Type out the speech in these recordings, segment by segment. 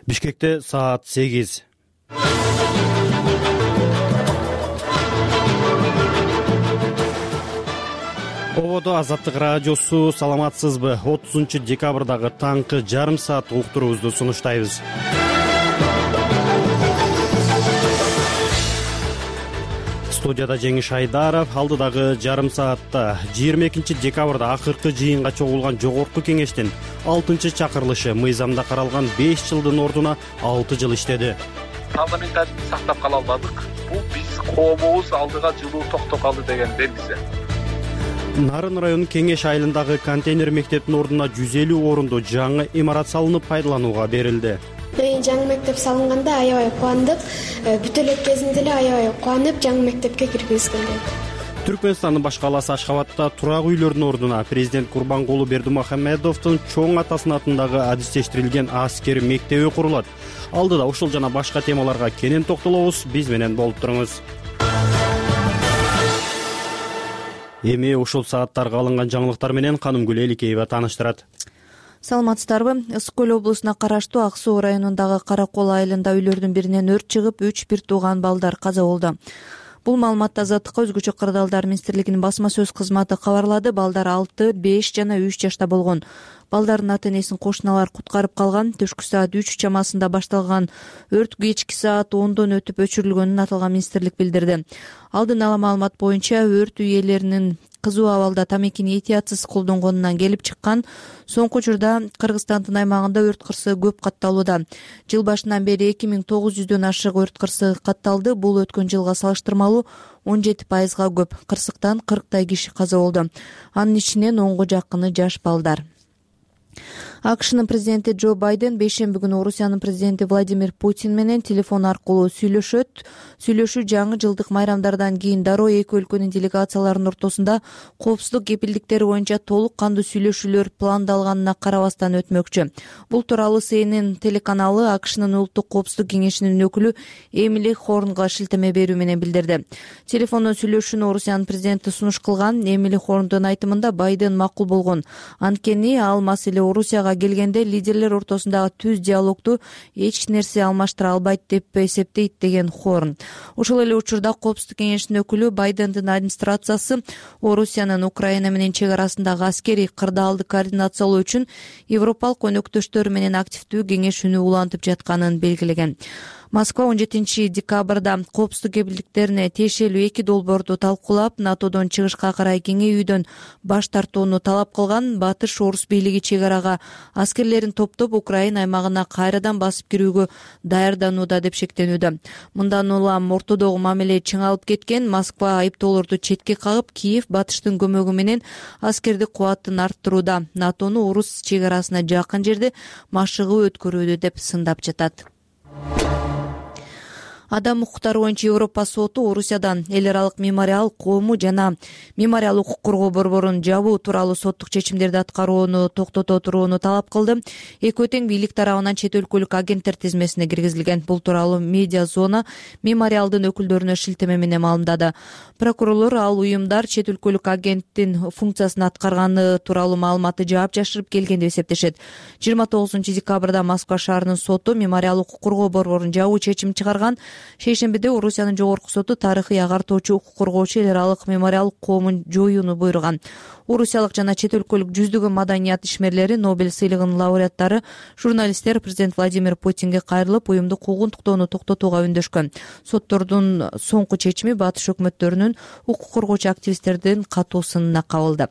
Бишкекте саат 8. Ободо Азаттык радиосу. Саламатсызбы? 30-декабрдагы таңкы жарым саат уктуруубузду сунуштайбыз. Студияда Жеңиш Айдаров. Алдыдагы жарым саатта 22-декабрда акыркы жыйынга чогулган жогорку кеңештин 6-чакырылышы мыйзамда каралган 5 жылдын ордуна 6 жыл иштеди. Парламентаризмди сактап кала албадык. Бул биз коомубуз алдыга жылуу токтоп калды деген белгиси. Нарын районунун Кеңеш айылындагы контейнер мектептин ордуна 150 орундуу жаңы имарат салынып пайдаланууга берилди. Жаңы мектеп салынганда аябай кубандык. Бүтө элек кезинде эле аябай кубанып жаңы мектепке киргизилген. Түркмөнстандын баш калаасы Ашхабадта турак үйлөрдүн ордуна президент Курбангулу Бердимухамедовдун чоң атасынын атындагы адистештирилген аскери мектеби курулат. Алдыда ушул жана башка темаларга кенен токтолобуз. Биз менен болуп туруңуз. Эми ушул сааттарга алынган жаңылыктар менен Канымгүл Эликеева тааныштырат. Саламатсыздарбы? Ысык көл облусуна караштуу Ак суу районундагы Каракол айылында үйлөрдүн биринен өрт чыгып, 3 бир тууган балдар каза болду. Бул маалыматты Азаттыкка өзгөчө кырдаалдар министрлигинин басма сөз кызматы кабарлады. Балдар 6, 5 жана 3 жашта болгон. Балдардын ата-энесин кошуналар куткарып калган. Түшкү саат 3 чамасында башталган өрт кечки саат 10дон өтүп өчүрүлгөнүн аталган министрлик билдирди. Алдын ала маалымат боюнча өрт үй ээлеринин кызуу абалда тамекини этиятсыз колдонгонунан келип чыккан. Соңку учурда Кыргызстандын аймагында өрт кырсыгы көп катталууда. Жыл башынан бери 2900дөн ашык өрт кырсыгы катталды. Бул өткөн жылга салыштырмалуу 17%га көп. Кырсыктан 40 киши каза болду. Анын ичинен 10го жакыны жаш балдар. АКШнын президенти Джо Байден бейшемби күнү Орусиянын президенти Владимир Путин менен телефон аркылуу сүйлөшөт. Сүйлөшүү жаңы жылдык майрамдардан кийин дароо эки өлкөнүн делегацияларынын ортосунда коопсуздук кепилдиктери боюнча толук кандуу сүйлөшүүлөр пландалганына карабастан өтмөкчү. Бул тууралуу CNN телеканалы АКШнын улуттук коопсуздук кеңешинин өкүлү Эмили Хорнго шилтеме берүү менен билдирди. Телефондон сүйлөшүүнү Орусиянын президенти сунуш кылган. Эмили Хорндун айтымында Байден макул болгон. Анткени ал маселе Орусияга келгенде лидерлер ортосундагы түз диалогду эч нерсе алмаштыра албайт деп эсептейт деген Хорн. Ошол эле учурда коопсуздук кеңешинин өкүлү Байдендин администрациясы Орусиянын Украина менен чек арасындагы аскерий кырдаалды координациялоо үчүн европалык өнөктөштөрү менен активдүү кеңешүүнү улантып жатканын белгилеген. Москва 17-декабрда коопсуздук кепилдиктерине тиешелүү эки долбоорду талкуулап, НАТОдон чыгышка карай кеңейүүдөн баш тартууну талап кылган. Батыш орус бийлиги чек арага аскерлерин топтоп Украина аймагына кайрадан басып кирүүгө даярданууда деп шектенүүдө. Мындан улам ортодогу мамиле чыңалып кеткен. Москва айыптоолорду четке кагып, Киев Батыштын көмөгү менен аскердик кубатын арттырууда, НАТОну орус чек арасына жакын жерде машыгуу өткөрүүдө деп сындап жатат. Адам укуктары боюнча Европа соту Орусиядан эл аралык мемориал коому жана мемориал укук коргоо борборун жабуу тууралуу соттук чечимдерди аткарууну токтото турууну талап кылды. Экөө тең бийлик тарабынан чет өлкөлүк агенттер тизмесине киргизилген. Бул тууралуу медиа зона мемориалдын өкүлдөрүнө шилтеме менен маалымдады. Прокурорлор ал уюмдар чет өлкөлүк агенттин функциясын аткарганы тууралуу маалыматты жаап жашырып келген деп эсептешет. 29-декабрда Москва шаарынын соту мемориал укук коргоо борборун жабуу чечим чыгарган. Шейшембиде Орусиянын жогорку соту тарыхый агартуучу укук коргоочу эл аралык мемориал коомун жоюуну буйруган. Орусиялык жана чет өлкөлүк жүздөгөн маданият ишмерлери, Нобель сыйлыгынын лауреаттары, журналисттер президент Владимир Путинге кайрылып, уюмду куугунтуктоону токтотууга үндөшкөн. Соттордун соңку чечими батыш өкмөттөрүнүн укук коргоочу активисттердин катуу сынына кабылды.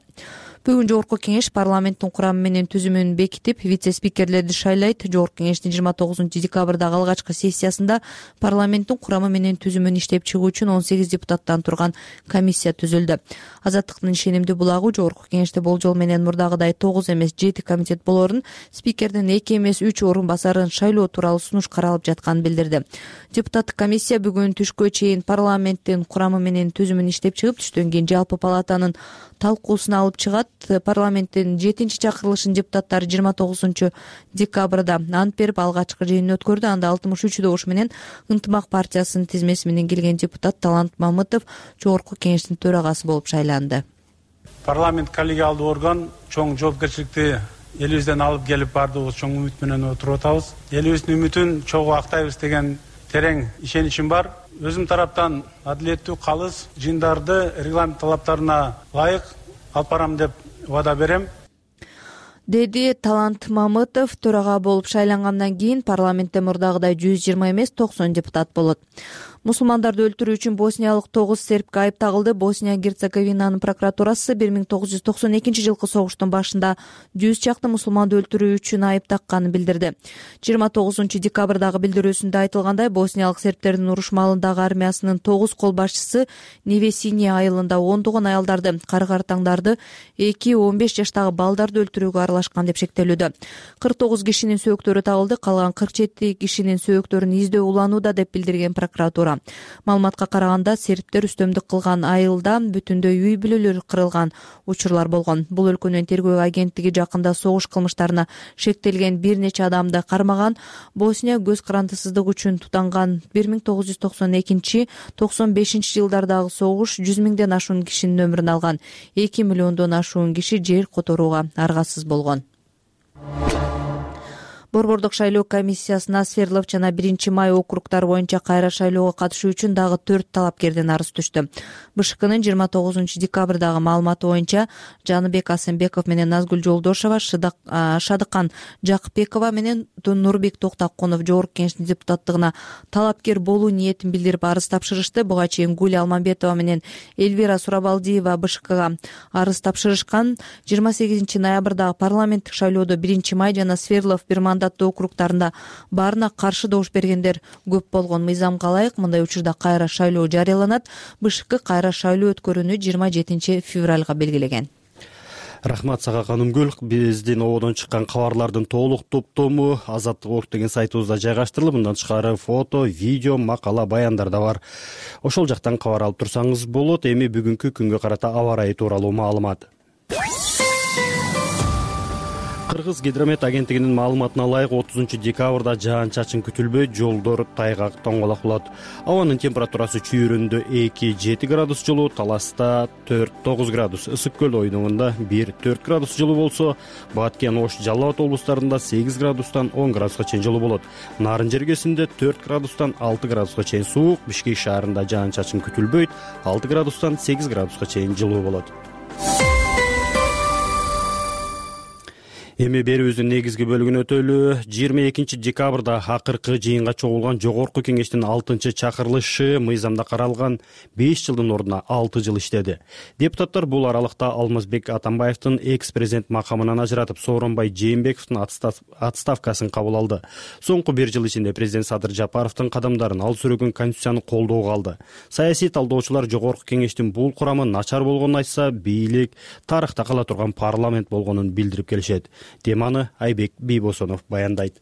Бүгүн жогорку кеңеш парламенттин курамы менен түзүмүн бекитип, вице-спикерлерди шайлайт. Жогорку кеңештин 29-декабрдагы алгачкы сессиясында парламенттин курамы менен түзүмүн иштеп чыгуу үчүн 18 депутаттан турган комиссия түзүлдү. Азаттыктын ишенимдүү булагы жогорку кеңеште болжол менен мурдагыдай 9 эмес 7 комитет болорун, спикердин 2 эмес 3 орун басарын шайлоо тууралуу сунуш каралып жатканын билдирди. Депутаттык комиссия бүгүн түшкө чейин парламенттин курамы менен түзүмүн иштеп чыгып, түштөн кийин жалпы палатанын талкуусуна алып чыгат. Парламенттин 7-чакырылышынын депутаттары 29-декабрда ант берип алгачкы жыйынын өткөрдү. Анда 63 добуш менен Ынтымак партиясынын тизмеси менен келген депутат Талант Мамытов жогорку кеңештин төрагасы болуп шайланды. Парламент коллегиалдуу орган чоң жоопкерчиликти элибизден алып келип баардыгыбыз чоң үмүт менен отуруп атабыз. Элибиздин үмүтүн чогуу актайбыз деген терең ишеничим бар. Өзүм тараптан адилеттүү, калыс жыйындарды регламент талаптарына ылайык алып барам деп убада берем, деди Талант Мамытов. Төрага болуп шайлангандан кийин парламентте мурдагыдай 120 эмес 90 депутат болот. Мусулмандарды өлтүрүү үчүн босниялык 9 сербке айып тагылды. Босния-Герцеговинанын прокуратурасы 1992 жылкы согуштун башында 100 чакты мусулманды өлтүрүү үчүн айып такканын билдирди. 29 декабрдагы билдирүүсүндө айтылгандай, босниялык сербтердин уруш маалындагы армиясынын 9 кол башчысы Невесине айылында ондогон аялдарды, кары-картаңдарды, 2-15 жаштагы балдарды өлтүрүүгө аралашкан деп шектелүүдө. 49 кишинин сөөктөрү табылды, калган 47 кишинин сөөктөрүн издөө уланууда деп билдирген прокуратура. Маалыматка караганда, сербтер үстөмдүк кылган айылда бүтүндөй үй бүлөлөр кырылган учурлар болгон. Бул өлкөнүн тергөө агенттиги жакында согуш кылмыштарына шектелген бир нече адамды кармаган. Босния көз карандысыздык үчүн тутанган 1992-95 жылдардагы согуш 100 миңден ашуун кишинин өмүрүн алган. 2 миллиондон ашуун киши жер которууга аргасыз болгон. Борбордук шайлоо комиссиясына Свердлов жана 1-Май округдары боюнча кайра шайлоого катышуу үчүн дагы 4 талапкерден арыз түштү. БШКнын 29 декабрдагы маалыматы боюнча Жаныбек Асенбеков менен Назгүл Жолдошова, Шадыкан Жакыпбекова менен Нурбек Токтакунов жогорку кеңештин депутаттыгына талапкер болуу ниетин билдирип арыз тапшырышты. Буга чейин Гуля Алмамбетова менен Эльвира Сурабалдиева БШКга арыз тапшырышкан. 28 ноябрдагы парламенттик шайлоодо 1-Май жана Свердлов бир мандаттуу округдарында баарына каршы добуш бергендер көп болгон. Мыйзамга ылайык мындай учурда кайра шайлоо жарыяланат. БШК кайра шайлоо өткөрүүнү 27 февралга белгилеген. Рахмат сага Канымгүл. Биздин ободон чыккан кабарлардын толук топтому Азаттык деген сайтыбызда жайгаштырылып, мындан тышкары фото, видео, макала, баяндар да бар. Ошол жактан кабар алып турсаңыз болот. Эми бүгүнкү күнгө карата аба ырайы тууралуу маалымат. Кыргыз гидромет агенттигинин маалыматына ылайык 30 декабрда жаан-чачын күтүлбөйт, жолдор тайгак тоңголок болот. Абанын температурасы чүйүрүндө 2-7 градус жылуу, Таласта 4-9 градус, Ысык көл ойнугунда 1-4 градус жылуу болсо, Баткен, Ош, Жалал Абад облустарында 8 градустан 10 градуска чейин жылуу болот. Нарын жергесинде 4 градустан 6 градуска чейин суук, Бишкек шаарында жаан-чачын күтүлбөйт, 6 градустан 8 градуска чейин жылуу болот. Эми берүүбүздүн негизги бөлүгүн өтөлү. 22 декабрда акыркы жыйынга чогулган жогорку кеңештин 6 чакырылышы мыйзамда каралган 5 жылдын ордуна 6 жыл иштеди. Депутаттар бул аралыкта Алмазбек Атамбаевдин экс-президент макамынан ажыратып, Сооронбай Жээнбековдун отставкасын кабыл алды. Соңку 1 жыл ичинде президент Садыр Жапаровдун кадамдарын ал сүрөгөн конституцияны колдоого алды. Саясий талдоочулар жогорку кеңештин бул курамы начар болгонун айтса, бийлик тарыхта кала турган парламент болгонун билдирип келишет. Теманы Айбек Бийбосонов баяндайт.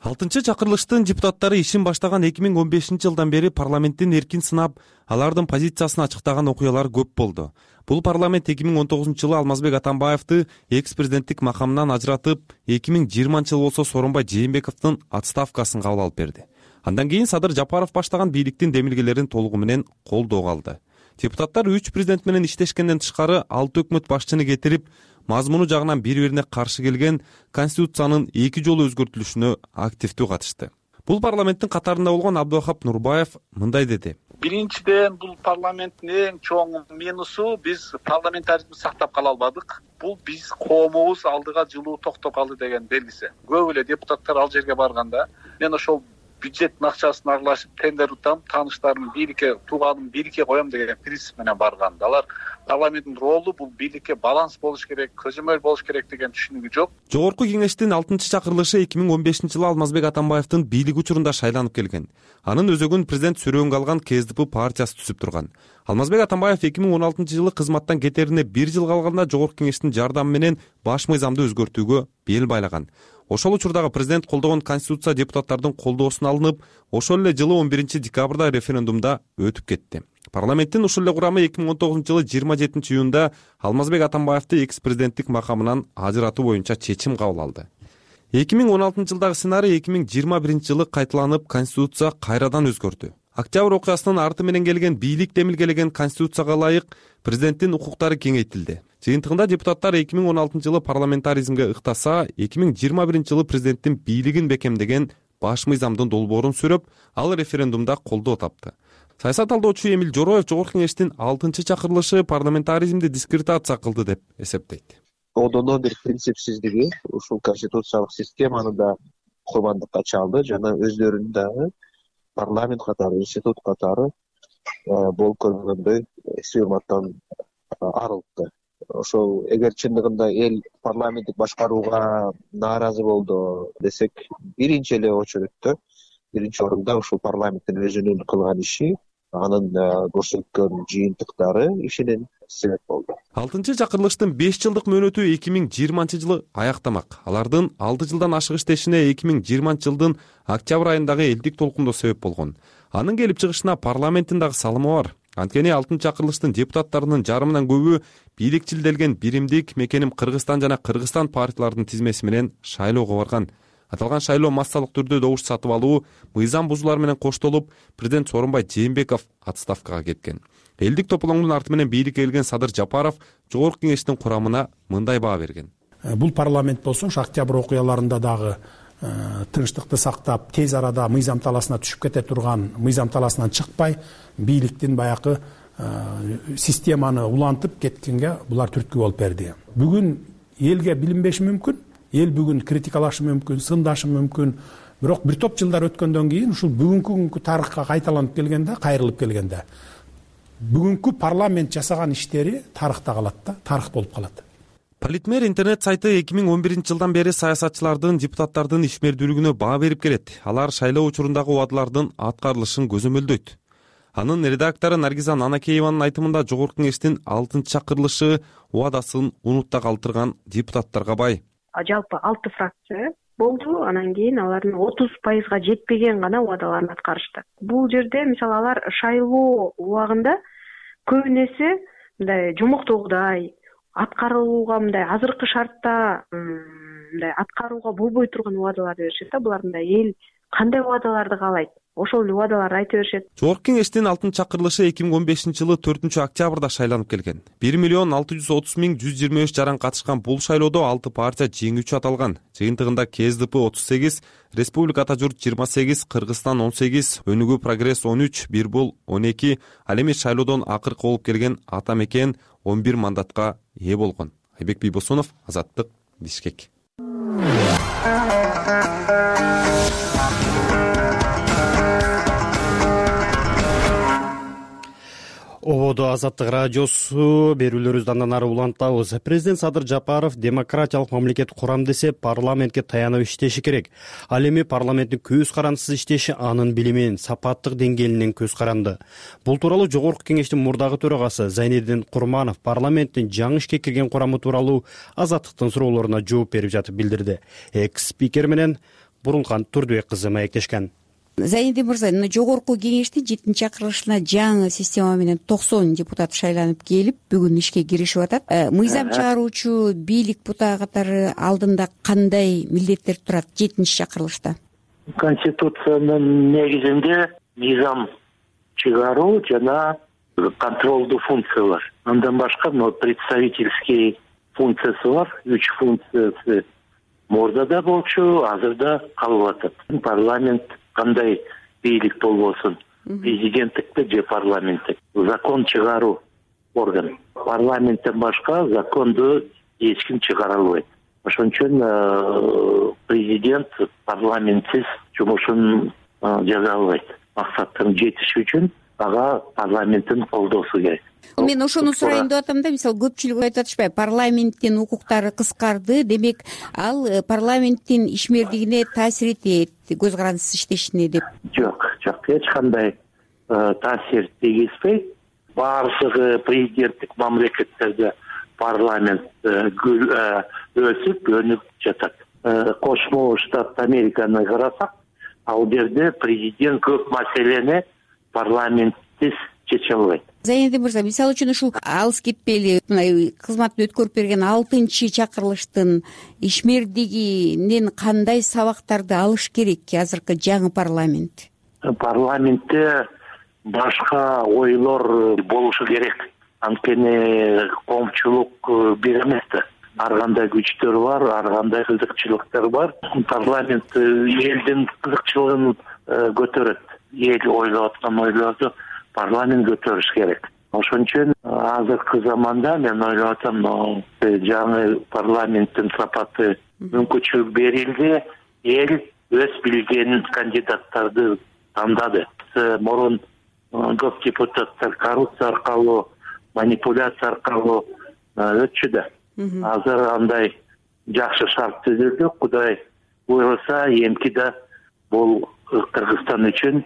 6 чакырылыштын депутаттары ишин баштаган 2015 жылдан бери парламенттин эркин сынап, алардын позициясын ачыктаган окуялар көп болду. Бул парламент 2019 жылы Алмазбек Атамбаевди экс-президенттик макамынан ажыратып, 2020 жыл болсо Сооронбай Жээнбековдун отставкасын кабыл алып берди. Андан кийин Садыр Жапаров баштаган бийликтин демилгелерин толугу менен колдоого алды. Депутаттар 3 президент менен иштешкенден тышкары 6 өкмөт башчыны кетирип, мазмуну жагынан бири-бирине каршы келген Конституциянын 2 жолу өзгөртүлүшүнө активдүү катышты. Бул парламенттин катарында болгон Абдыхап Нурбаев мындай деди. Биринчиден, бул парламенттин эң чоң минусу биз парламентаризмди сактап кала албадык. Бул биз коомубуз алдыга жылуу токтоп калды деген белгиси. Көп эле депутаттар ал жерге барганда, мен ошол бюджеттин акчасын аралашып тендер утам, тааныштарым бийликке, тууганым бийликке коем деген принцип менен барган. Алар парламенттин ролу бул бийликке баланс болуш керек, көзөмөл болуш керек деген түшүнүгү жок. Жогорку кеңештин 6 чакырылышы 2015 жылы Алмазбек Атамбаевдин бийлик учурунда шайланып келген. Анын өзөгүн президент сүрөөнгө алган КСДП партиясы түзүп турган. Алмазбек Атамбаев 2016 жылы кызматтан кетерине 1 жыл калганда жогорку кеңештин жардамы менен баш мыйзамды өзгөртүүгө бел байлаган. Ошол учурдагы президент колдогон конституция депутаттардын колдоосуна алынып, ошол эле жылы 11 декабрда референдумда өтүп кетти. Парламенттин ушул эле курамы 2019 жылы 27 июнда Алмазбек Атамбаевди экс-президенттик макамынан ажыратуу боюнча чечим кабыл алды. 2016 жылдагы сценарий 2021 жылы кайталанып, конституция кайрадан өзгөрдү. Октябрь окуясынын арты менен келген бийлик демилгелеген конституцияга ылайык президенттин укуктары кеңейтилди. Жыйынтыгында депутаттар 2016-жылы парламентаризмге ыктаса, 2021-жылы президенттин бийлигин бекемдеген баш мыйзамдын долбоорун сүрөп, ал референдумда колдоо тапты. Саясат талдоочу Эмил Жороев Жогорку Кеңештин 6-чакырылышы парламентаризмди дискредитация кылды деп эсептейт. Одондон бир принципсиздиги ушул конституциялык системаны да курбандыкка чалды жана өздөрүн дагы парламент катары, институт катары болуп көргөндөй сыйырматтан арылтты. Ошол эгер чындыгында эл парламенттик башкарууга нааразы болду десек, биринчи эле очередте, биринчи орунда ушул парламенттин өзүнүн кылган иши, анын көрсөткөн жыйынтыктары ишинин себеп болду. 6-чакырылыштын 5 жылдык мөөнөтү 2020-жылы аяктамак. Алардын 6 жылдан ашык иштешине 2020-жылдын октябрь айындагы элдик толкундоо себеп болгон. Анын келип чыгышына парламенттин дагы салымы бар. Анткени 6-чакырылыштын депутаттарынын жарымынан көбү бийликчилделген биримдик мекеним Кыргызстан жана Кыргызстан партияларынын тизмеси менен шайлоого барган. Аталган шайлоо массалык түрдө добуш сатып алуу, мыйзам бузуулар менен коштолуп, президент Сооронбай Жээнбеков отставкага кеткен. Элдик тополоңдун арты менен бийликке келген Садыр Жапаров Жогорку Кеңештин курамына мындай баа берген. Бул парламент болсо, октябрь окуяларында дагы тынчтыкты сактап, тез арада мыйзам таласына түшүп кете турган, мыйзам таласынан чыкпай, бийликтин баягы системаны улантып кеткенге булар түрткү болуп берди. Бүгүн элге билинбеши мүмкүн, эл бүгүн критикалашы мүмкүн, сындашы мүмкүн. Бирок бир топ жылдар өткөндөн кийин ушул бүгүнкү тарыхка кайталанып келгенде, кайрылып келгенде, бүгүнкү парламент жасаган иштери тарыхта калат да, тарых болуп калат. Политмер интернет сайты 2011-жылдан бери саясатчылардын, депутаттардын ишмердүүлүгүнө баа берип келет. Алар шайлоо учурундагы убадалардын аткарылышын көзөмөлдөйт. Анын редактору Наргиза Нанакееванын айтымында Жогорку Кеңештин 6-чакырылышы убадасын унутта калтырган депутаттарга бай. Жалпы 6 фракция болду, анан кийин алардын 30% жетпеген гана убадаларын аткарышты. Бул жерде мисалы алар шайлоо убагында көбүнесе мындай жомоктогудай аткарууга, мындай азыркы шартта мындай аткарууга болбой турган убадаларды беришет да. Булар мындай эл кандай убадаларды каалайт, ошол эле убадаларды айта беришет. Жогорку Кеңештин 6-чакырылышы 2015-жылы 4-октябрда шайланып келген. 1,630,123 жаран катышкан бул шайлоодо 6 партия жеңүүчү аталган. Жыйынтыгында КСДП 38, Республика Ата Журт 28, Кыргызстан 18, Өнүгүү Прогресс 13, Бир Бул 12, ал эми шайлоодон акыркы болуп келген Ата Мекен 11 мандатка ээ болгон. Айбек Бийбосунов, Азаттык, Бишкек. Ободо Азаттык радиосу берүүлөрүбүздү андан ары улантабыз. Президент Садыр Жапаров демократиялык мамлекет курам десе, парламентке таянып иштеши керек. Ал эми парламенттин көз карандысыз иштеши анын билимин, сапаттык деңгээлинен көз каранды. Бул тууралуу Жогорку Кеңештин мурдагы төрагасы Зайнеддин Курманов парламенттин жаңы ишке кирген курамы тууралуу Азаттыктын суроолоруна жооп берип жатып билдирди. Экс-спикер менен Бурункан Турдубек кызы маектешкен. Зайнеддин мырза, Жогорку Кеңештин 7-чакырылышына жаңы система менен 90 депутат шайланып келип, бүгүн ишке киришип атат. Мыйзам чыгаруучу бийлик бутагы катары алдында кандай милдеттер турат 7-чакырылышта? Конституциянын негизинде мыйзам чыгаруу жана контролдуу функция бар. Андан башка представительский функциясы бар. 3 функциясы мурдада болчу, азырда калып атат. Парламент кандай бийлик болбосун, президенттикте же парламенттик. Закон чыгаруу орган. Парламенттен башка законду эч ким чыгара албайт. Ошон үчүн президент парламентсиз жумушун жаза албайт. Максаттын жетиши үчүн ага парламенттин колдоосу керек. Мен ошону сурайын деп атам да, мисалы көпчүлүк айтып атышпайбы, парламенттин укуктары кыскарды, демек ал парламенттин ишмердигине таасир этет, көз карандысыз иштешине деп. Жок, эч кандай таасир тийгизбейт. Баардыгы президенттик мамлекеттерде парламент өсүп, өнүп жатат. Кошмо Штат Американы карасак, ал жерде президент көп маселени парламентсиз чече албайт. Зайнеддин мырза, мисалы үчүн ушул алыс кетпели кызматын өткөрүп берген 6-чакырылыштын ишмердигинен кандай сабактарды алыш керек азыркы жаңы парламент? Парламентте башка ойлор болушу керек. Анткени коомчулук бир эмес да. Ар кандай күчтөр бар, ар кандай кызыкчылыктар бар. Парламент элдин кызыкчылыгын көтөрөт. Эл ойлоп аткан ойлорду парламент көтөрүш керек. Ошон үчүн азыркы заманда мен ойлоп атам, жаңы парламенттин сапаты мүмкүнчүлүк берилди. Эл өз билген кандидаттарды тандады. Мурун көп депутаттар коррупция аркылуу, манипуляция аркылуу өтчү да. Азыр андай жакшы шарт түзүлдү. Кудай буйруса, эмки да бул Кыргызстан үчүн,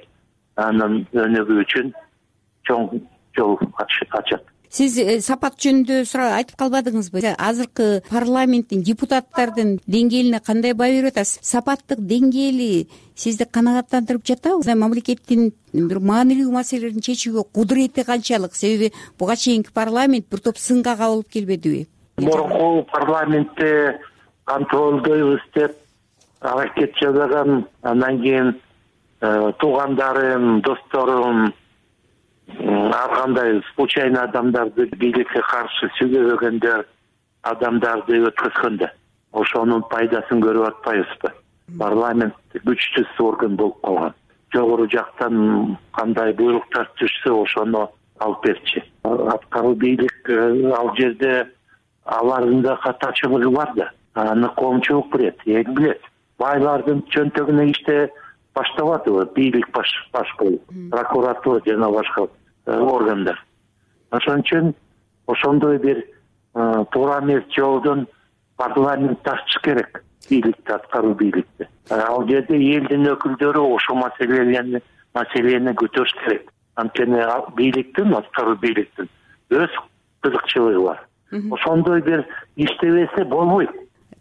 анын өнүгүү үчүн чоң жол ачат. Сиз сапат жөнүндө айтып калбадыңызбы? Азыркы парламенттин депутаттардын деңгээлине кандай баа берип атасыз? Сапаттык деңгээли сизди канааттандырып жатабы? Мамлекеттин бир маанилүү маселелерин чечүүгө кудурети канчалык? Себеби буга чейинки парламент бир топ сынга кабылып келбедиби? Мурунку парламентте контролдойбуз деп аракет жасаган, андан кийин туугандарым, досторум, ар кандай случайный адамдарды, бийликке каршы сүйлөбөгөндөр адамдарды өткөзгөндө ошонун пайдасын көрүп атпайбызбы? Парламент күчтүү орган болуп калган. Жогору жактан кандай буйруктар түшсө ошону алып берчү. Аткаруу бийлик ал жерде алардын да катачылыгы бар да. Аны коомчулук билет, эл билет. Байлардын чөнтөгүнө иште баштабадыбы бийлик баш болуп, прокуратура жана башка органдар. Ошон үчүн ошондой бир туура эмес жолдон парламент тартыш керек бийликти, аткаруу бийликти. Ал жерде элдин өкүлдөрү ошол маселени көтөрүш керек. Анткени бийликтин, аткаруу бийликтин өз кызыкчылыгы бар. Ошондой бир иштебесе болбойт.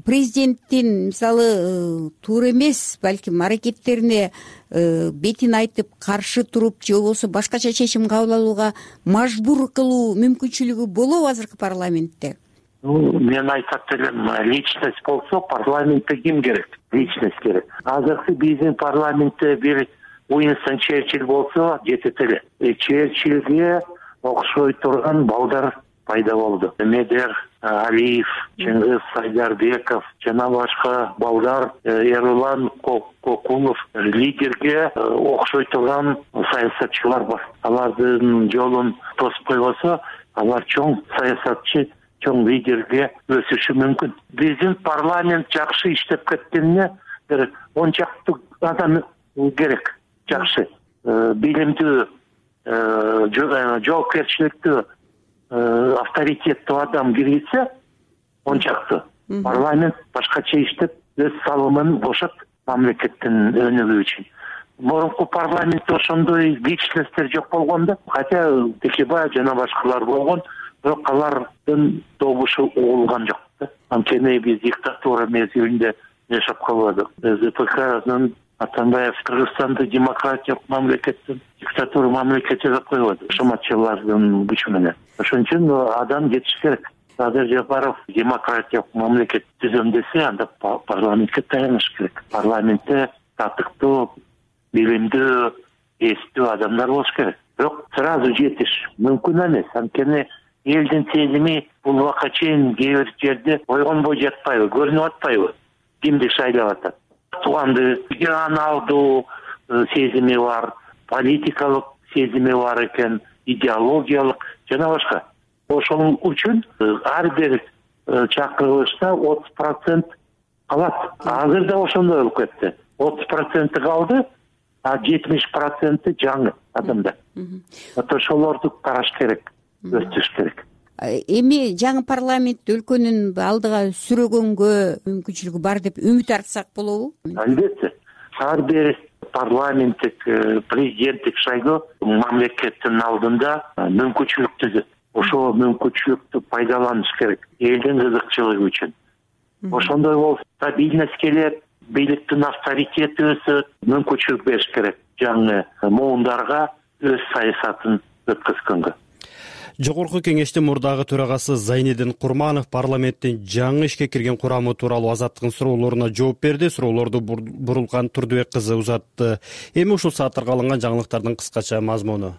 Президенттин мисалы туура эмес балким аракеттерине бетин айтып каршы туруп же болбосо башкача чечим кабыл алууга мажбур кылуу мүмкүнчүлүгү болобу азыркы парламентте? Мен айтат элем, личность болсо парламентте ким керек? Личность керек. Азыркы биздин парламентте бир Уинстон Черчилль болсо жетет эле. Черчилльге окшой турган балдар пайда болду. Медер Алиев, Чыңгыз Сайдарбеков жана башка балдар, Эрулан Кокулов, лидерге окшой турган саясатчылар бар. Алардын жолун тосуп койбосо, алар чоң саясатчы, чоң лидерге өсүшү мүмкүн. Биздин парламент жакшы иштеп кеткенине бир 10 чакты адам керек. Жакшы, билимдүү, жоопкерчиликтүү, авторитеттүү адам киргизсе, 10 чакты парламент башкача иштеп, өз салымын кошот мамлекеттин өнүгүү үчүн. Мурунку парламентте ошондой личносттер жок болгон да. Хотя Текебаев жана башкалар болгон, бирок алардын добушу угулган жок да. Анткени биз диктатура мезгилинде жашап калбадык. ЗПКнын Атамбаев Кыргызстанды демократиялык мамлекеттин диктатура мамлекет жасап койбоду. Шаматчылардын күчү менен. Ошон үчүн адам жетиш керек. Садыр Жапаров демократиялык мамлекет түзөм десе, анда парламентке таяныш керек. Парламентте татыктуу, билимдүү, эстүү адамдар болуш керек. Бирок сразу жетиш мүмкүн эмес. Анткени элдин сезими бул убакка чейин кээ бир жерде ойгонбой жатпайбы, көрүнүп атпайбы? Кимди шайлап атат? Тууганды регионалдуу сезими бар, политикалык сезими бар экен, идеологиялык жана башка. Ошол үчүн ар бир чакырылышта 30% калат. Азыр да ошондой болуп кетти. 30% калды, а 70% жаңы адамдар. Ошолорду караш керек, өстүрүш керек. Эми жаңы парламент өлкөнүн алдыга сүрөгөнгө мүмкүнчүлүгү бар деп үмүт артсак болобу? Албетте. Ар бир парламенттик, президенттик шайлоо мамлекеттин алдында мүмкүнчүлүк түзөт. Ошол мүмкүнчүлүктү пайдаланыш керек элдин кызыкчылыгы үчүн. Ошондой болсо стабильность келет, бийликтин авторитети өсөт, мүмкүнчүлүк бериш керек жаңы муундарга өз саясатын өткөзгөнгө. Жогорку кеңештин мурдагы төрагасы Зайнидин Курманов парламенттин жаңы ишке кирген курамы тууралуу Азаттыктын суроолоруна жооп берди. Суроолорду Бурулкан Турдубек кызы узатты. Эми ушул сааттарга алынган жаңылыктардын кыскача мазмуну.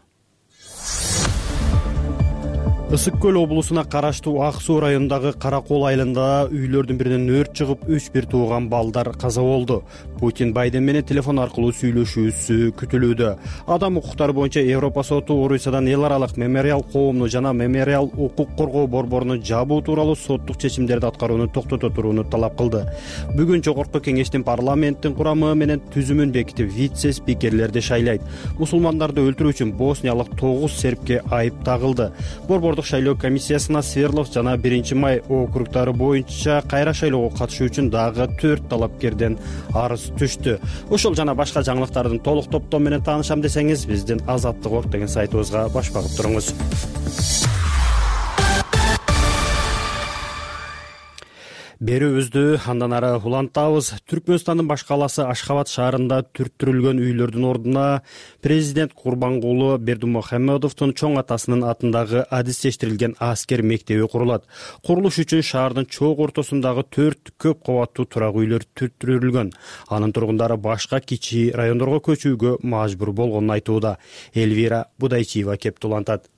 Ысык көл облусуна караштуу Ак Суу районундагы Каракол айылында үйлөрдүн биринен өрт чыгып, 3-1 тууган балдар каза болду. Путин Байден менен телефон аркылуу сүйлөшүүсү күтүлүүдө. Адам укуктары боюнча Европа соту Орусиядан эл аралык мемориал коомну жана мемориал укук коргоо борборун жабуу тууралуу соттук чечимдерди аткарууну токтото турууну талап кылды. Бүгүн жогорку кеңештин парламенттин курамы менен түзүмүн бекитип, вице-спикерлерди шайлайт. Мусулмандарды өлтүрүү үчүн босниялык 9 сербке айып тагылды. Борбордук шайлоо комиссиясына Сверлов жана 1-Май округдары боюнча кайра шайлоого катышуу үчүн дагы 4 талапкерден арыз түштү. Ошол жана башка жаңылыктардын толук топтому менен таанышам десеңиз, биздин Азаттык.org деген сайтыбызга баш багып туруңуз. Берүүбүздү андан ары улантабыз. Түркмөнстандын баш калаасы Ашхабад шаарында түрттүрүлгөн үйлөрдүн ордуна президент Курбангулу Бердимухамедовдун чоң атасынын атындагы адистештирилген аскер мектеби курулат. Курулуш үчүн шаардын чоң ортосундагы 4 көп кабаттуу турак үйлөр түрттүрүлгөн. Анын тургундары башка кичи райондорго көчүүгө мажбур болгонун айтууда. Элвира Будайчиева кеп улантат.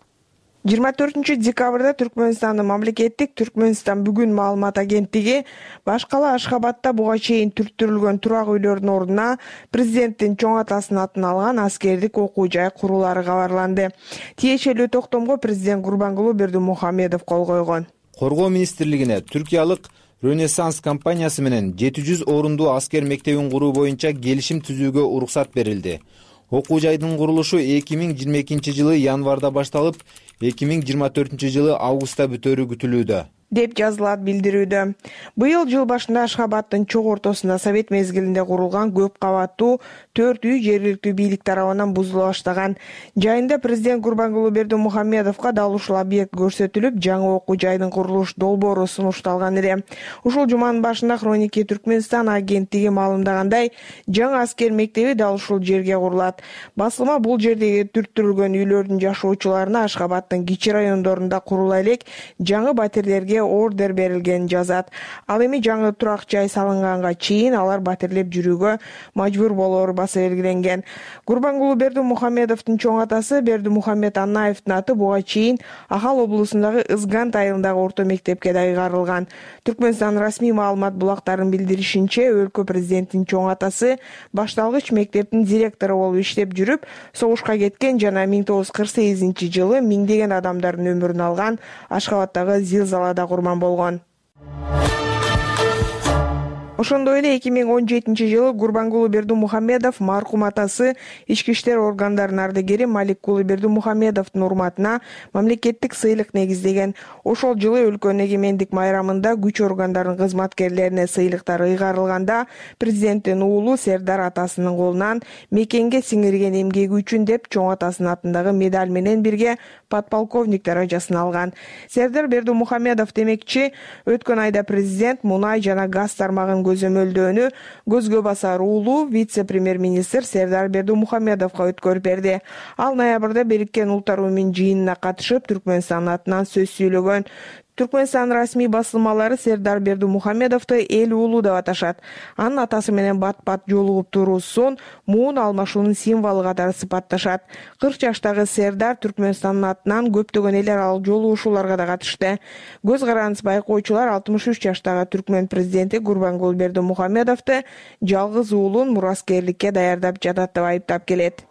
24 декабрда Түркмөнстандын мамлекеттик Түркмөнстан бүгүн маалымат агенттиги баш кала Ашхабадда буга чейин түрттүрүлгөн турак үйлөрдүн ордуна президенттин чоң атасынын атын алган аскердик окуу жай курулары кабарланды. Тиешелүү токтомго президент Курбангулу Бердимухамедов кол койгон. Коргоо министрлигине түркиялык Ренессанс компаниясы менен 700 орундуу аскер мектебин куруу боюнча келишим түзүүгө уруксат берилди. Окуу жайдын курулушу 2022-жылы январда башталып, 2024-жылы августта бүтөөрү күтүлүүдө, деп жазылат билдирүүдө. Быйыл жыл башында Ашхабаддын чоң ортосунда совет мезгилинде курулган көп кабаттуу 4 үй жергиликтүү бийлик тарабынан бузула баштаган. Жайында президент Курбангулу Бердимухамедовго дал ушул объект көрсөтүлүп, жаңы окуу жайдын курулуш долбоору сунушталган эле. Ушул жуманын башында Хроники Түркмөнстан агенттиги маалымдагандай, жаңы аскер мектеби дал ушул жерге курулат. Басылма бул жердеги түрттүрүлгөн үйлөрдүн жашоочуларына Ашхабаддын кичи райондорунда курула элек жаңы батирлерге ордер берилгенин жазат. Ал эми жаңы турак жай салынганга чейин алар батирлеп жүрүүгө мажбур болоору баса белгиленген. Курбангулу Бердимухамедовдун чоң атасы Бердимухамед Аннаевдин аты буга чейин Ахал облусундагы Ызгант айылындагы орто мектепке да ыйгарылган. Түркмөнстан расмий маалымат булактарынын билдиришинче, өлкө президентинин чоң атасы башталгыч мектептин директору болуп иштеп жүрүп, согушка кеткен жана 1948-жылы миңдеген адамдардын өмүрүн алган Ашхабаддагы зилзалада курман болгон. Ошондой эле 2017-жылы Курбангулу Бердимухамедов маркум атасы ички иштер органдарынын ардагери Маликкулу Бердимухамедовдун урматына мамлекеттик сыйлык негиздеген. Ошол жылы өлкөнүн эгемендик майрамында күч органдарынын кызматкерлерине сыйлыктар ыйгарылганда, президенттин уулу Сердар атасынын колунан мекенге сиңирген эмгеги үчүн деп чоң атасынын атындагы медаль менен бирге подполковник даражасын алган. Сердар Бердимухамедов демекчи, өткөн айда президент мунай жана газ тармагын көзөмөлдөөнү көзгө басар уулу вице-премьер-министр Сердар Бердимухамедовго өткөрүп берди. Ал ноябрда Бириккен Улуттар уюмунун жыйынына катышып, Түркмөнстандын атынан сөз сүйлөгөн. Түркмөнстан расмий басылмалары Сердар Бердимухамедовду эл уулу деп аташат. Анын атасы менен бат-бат жолугуп туруусун муун алмашуунун символу катары сыпатташат. 40 жаштагы Сердар Түркмөнстандын атынан көптөгөн эл аралык жолугушууларга да катышты. Көз карандыс байкоочулар 63 жаштагы түркмөн президенти Курбангулу Бердимухамедовду жалгыз уулун мураскерликке даярдап жатат деп айыптап келет.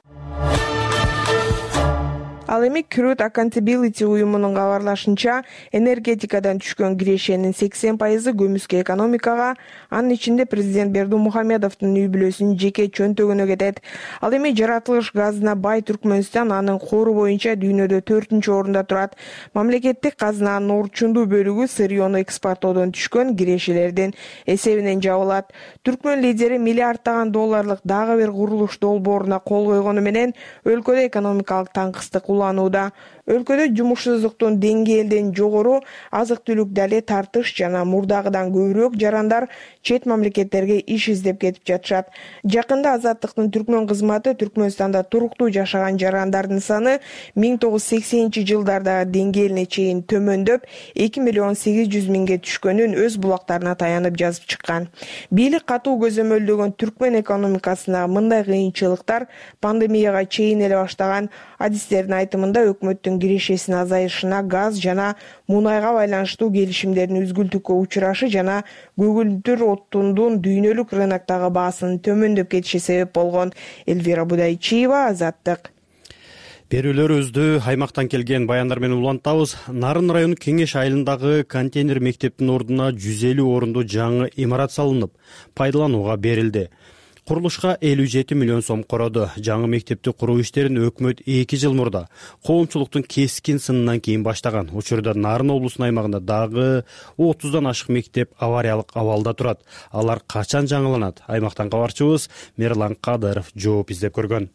Ал эми Crude Accountability уюмунун кабарлашынча, энергетикадан түшкөн кирешенин 80% көмүскө экономикага, анын ичинде президент Бердимухамедовдун үй бүлөсүнүн жеке чөнтөгүнө кетет. Ал эми жаратылыш газына бай Түркмөнстан анын кору боюнча дүйнөдө 4-орунда турат. Мамлекеттик казынанын орчундуу бөлүгү сырьёну экспорттоодон түшкөн кирешелердин эсебинен жабылат. Түркмөн лидери миллиарддаган долларлык дагы бир курулуш долбооруна кол койгону менен өлкөдө экономикалык таңкыстык уланууда. Өлкөдө жумушсуздуктун деңгээли элден жогору, азык-түлүк дале тартыш жана мурдагыдан көбүрөөк жарандар чет мамлекеттерге иш издеп кетип жатышат. Жакында Азаттыктын түркмөн кызматы Түркмөнстанда туруктуу жашаган жарандардын саны 1980-жылдардагы деңгээлине чейин төмөндөп, 2.800.000 түшкөнүн өз булактарына таянып жазып чыккан. Бийлик катуу көзөмөлдөгөн түркмөн экономикасына мындай кыйынчылыктар пандемияга чейин эле баштаган. Адистердин айтымында өкмөттүн кирешесинин азайышына, газ жана мунайга байланыштуу келишимдердин үзгүлтүккө учурашы жана көгүлдүр отундун дүйнөлүк рыноктогу баасынын төмөндөп кетиши себеп болгон. Элвира Будайчиева, Азаттык. Берүүлөрүбүздү аймактан келген баяндар менен улантабыз. Нарын району Кеңеш айылындагы контейнер мектептин ордуна 150 орундуу жаңы имарат салынып, пайдаланууга берилди. Курулушка 57 миллион сом короду. Жаңы мектепти куруу иштерин өкмөт 2 жыл мурда коомчулуктун кескин сынынан кийин баштаган. Учурда Нарын облусунун аймагында дагы 30дан ашык мектеп авариялык абалда турат. Алар качан жаңыланат? Аймактан кабарчыбыз Мерлан Кадыров жооп издеп көргөн.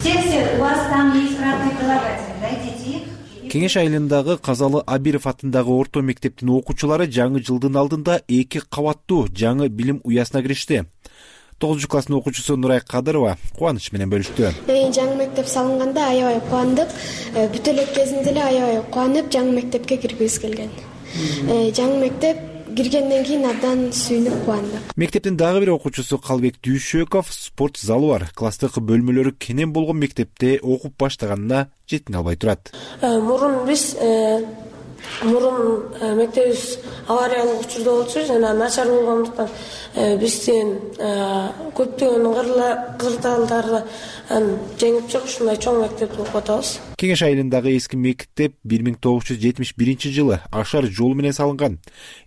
У вас там есть равные прилагательные, дойдите их. Кеңеш айылындагы Казалы Абиров атындагы орто мектептин окуучулары жаңы жылдын алдында 2 кабаттуу жаңы билим уясына киришти. 9-класстын окуучусу Нурай Кадырова кубаныч менен бөлүштү. Жаңы мектеп салынганда аябай кубандык. Бүт эле кезинде эле аябай кубанып жаңы мектепке киргибиз келген. Жаңы мектеп киргенден кийин абдан сүйүнүп кубандык. Мектептин дагы бир окуучусу Калбек Дүйшөков спорт залы бар, класстык бөлмөлөрү кенен болгон мектепте окуп баштаганына жетине албай турат. Мурун мектебибиз авариялык учурда болчу жана начар болгондуктан биздин көптөгөн кырдаалдарды жеңип чыгып ушундай чоң мектепти окуп атабыз. Кеңеш айылындагы эски мектеп 1971 жылы Ашар жолу менен салынган.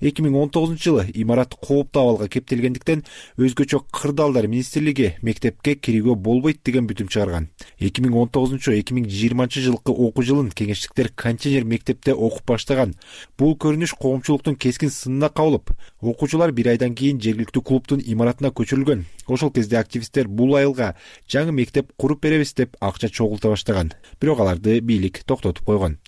2019 жылы имарат кооптуу абалга кептелгендиктен өзгөчө кырдаалдар министрлиги мектепке кирүүгө болбойт деген бүтүм чыгарган. 2019-2020 жылкы окуу жылын кеңештиктер контейнер мектепте окуп баштаган. Бул көрүнүш коомчулуктун кескин сынына кабылып, окуучулар 1 айдан кийин жергиликтүү клубдун имаратына көчүрүлгөн. Ошол кезде активисттер бул айылга жаңы мектеп куруп беребиз деп акча чогулта баштаган. Бирок аларды бийлик токтотуп койгон.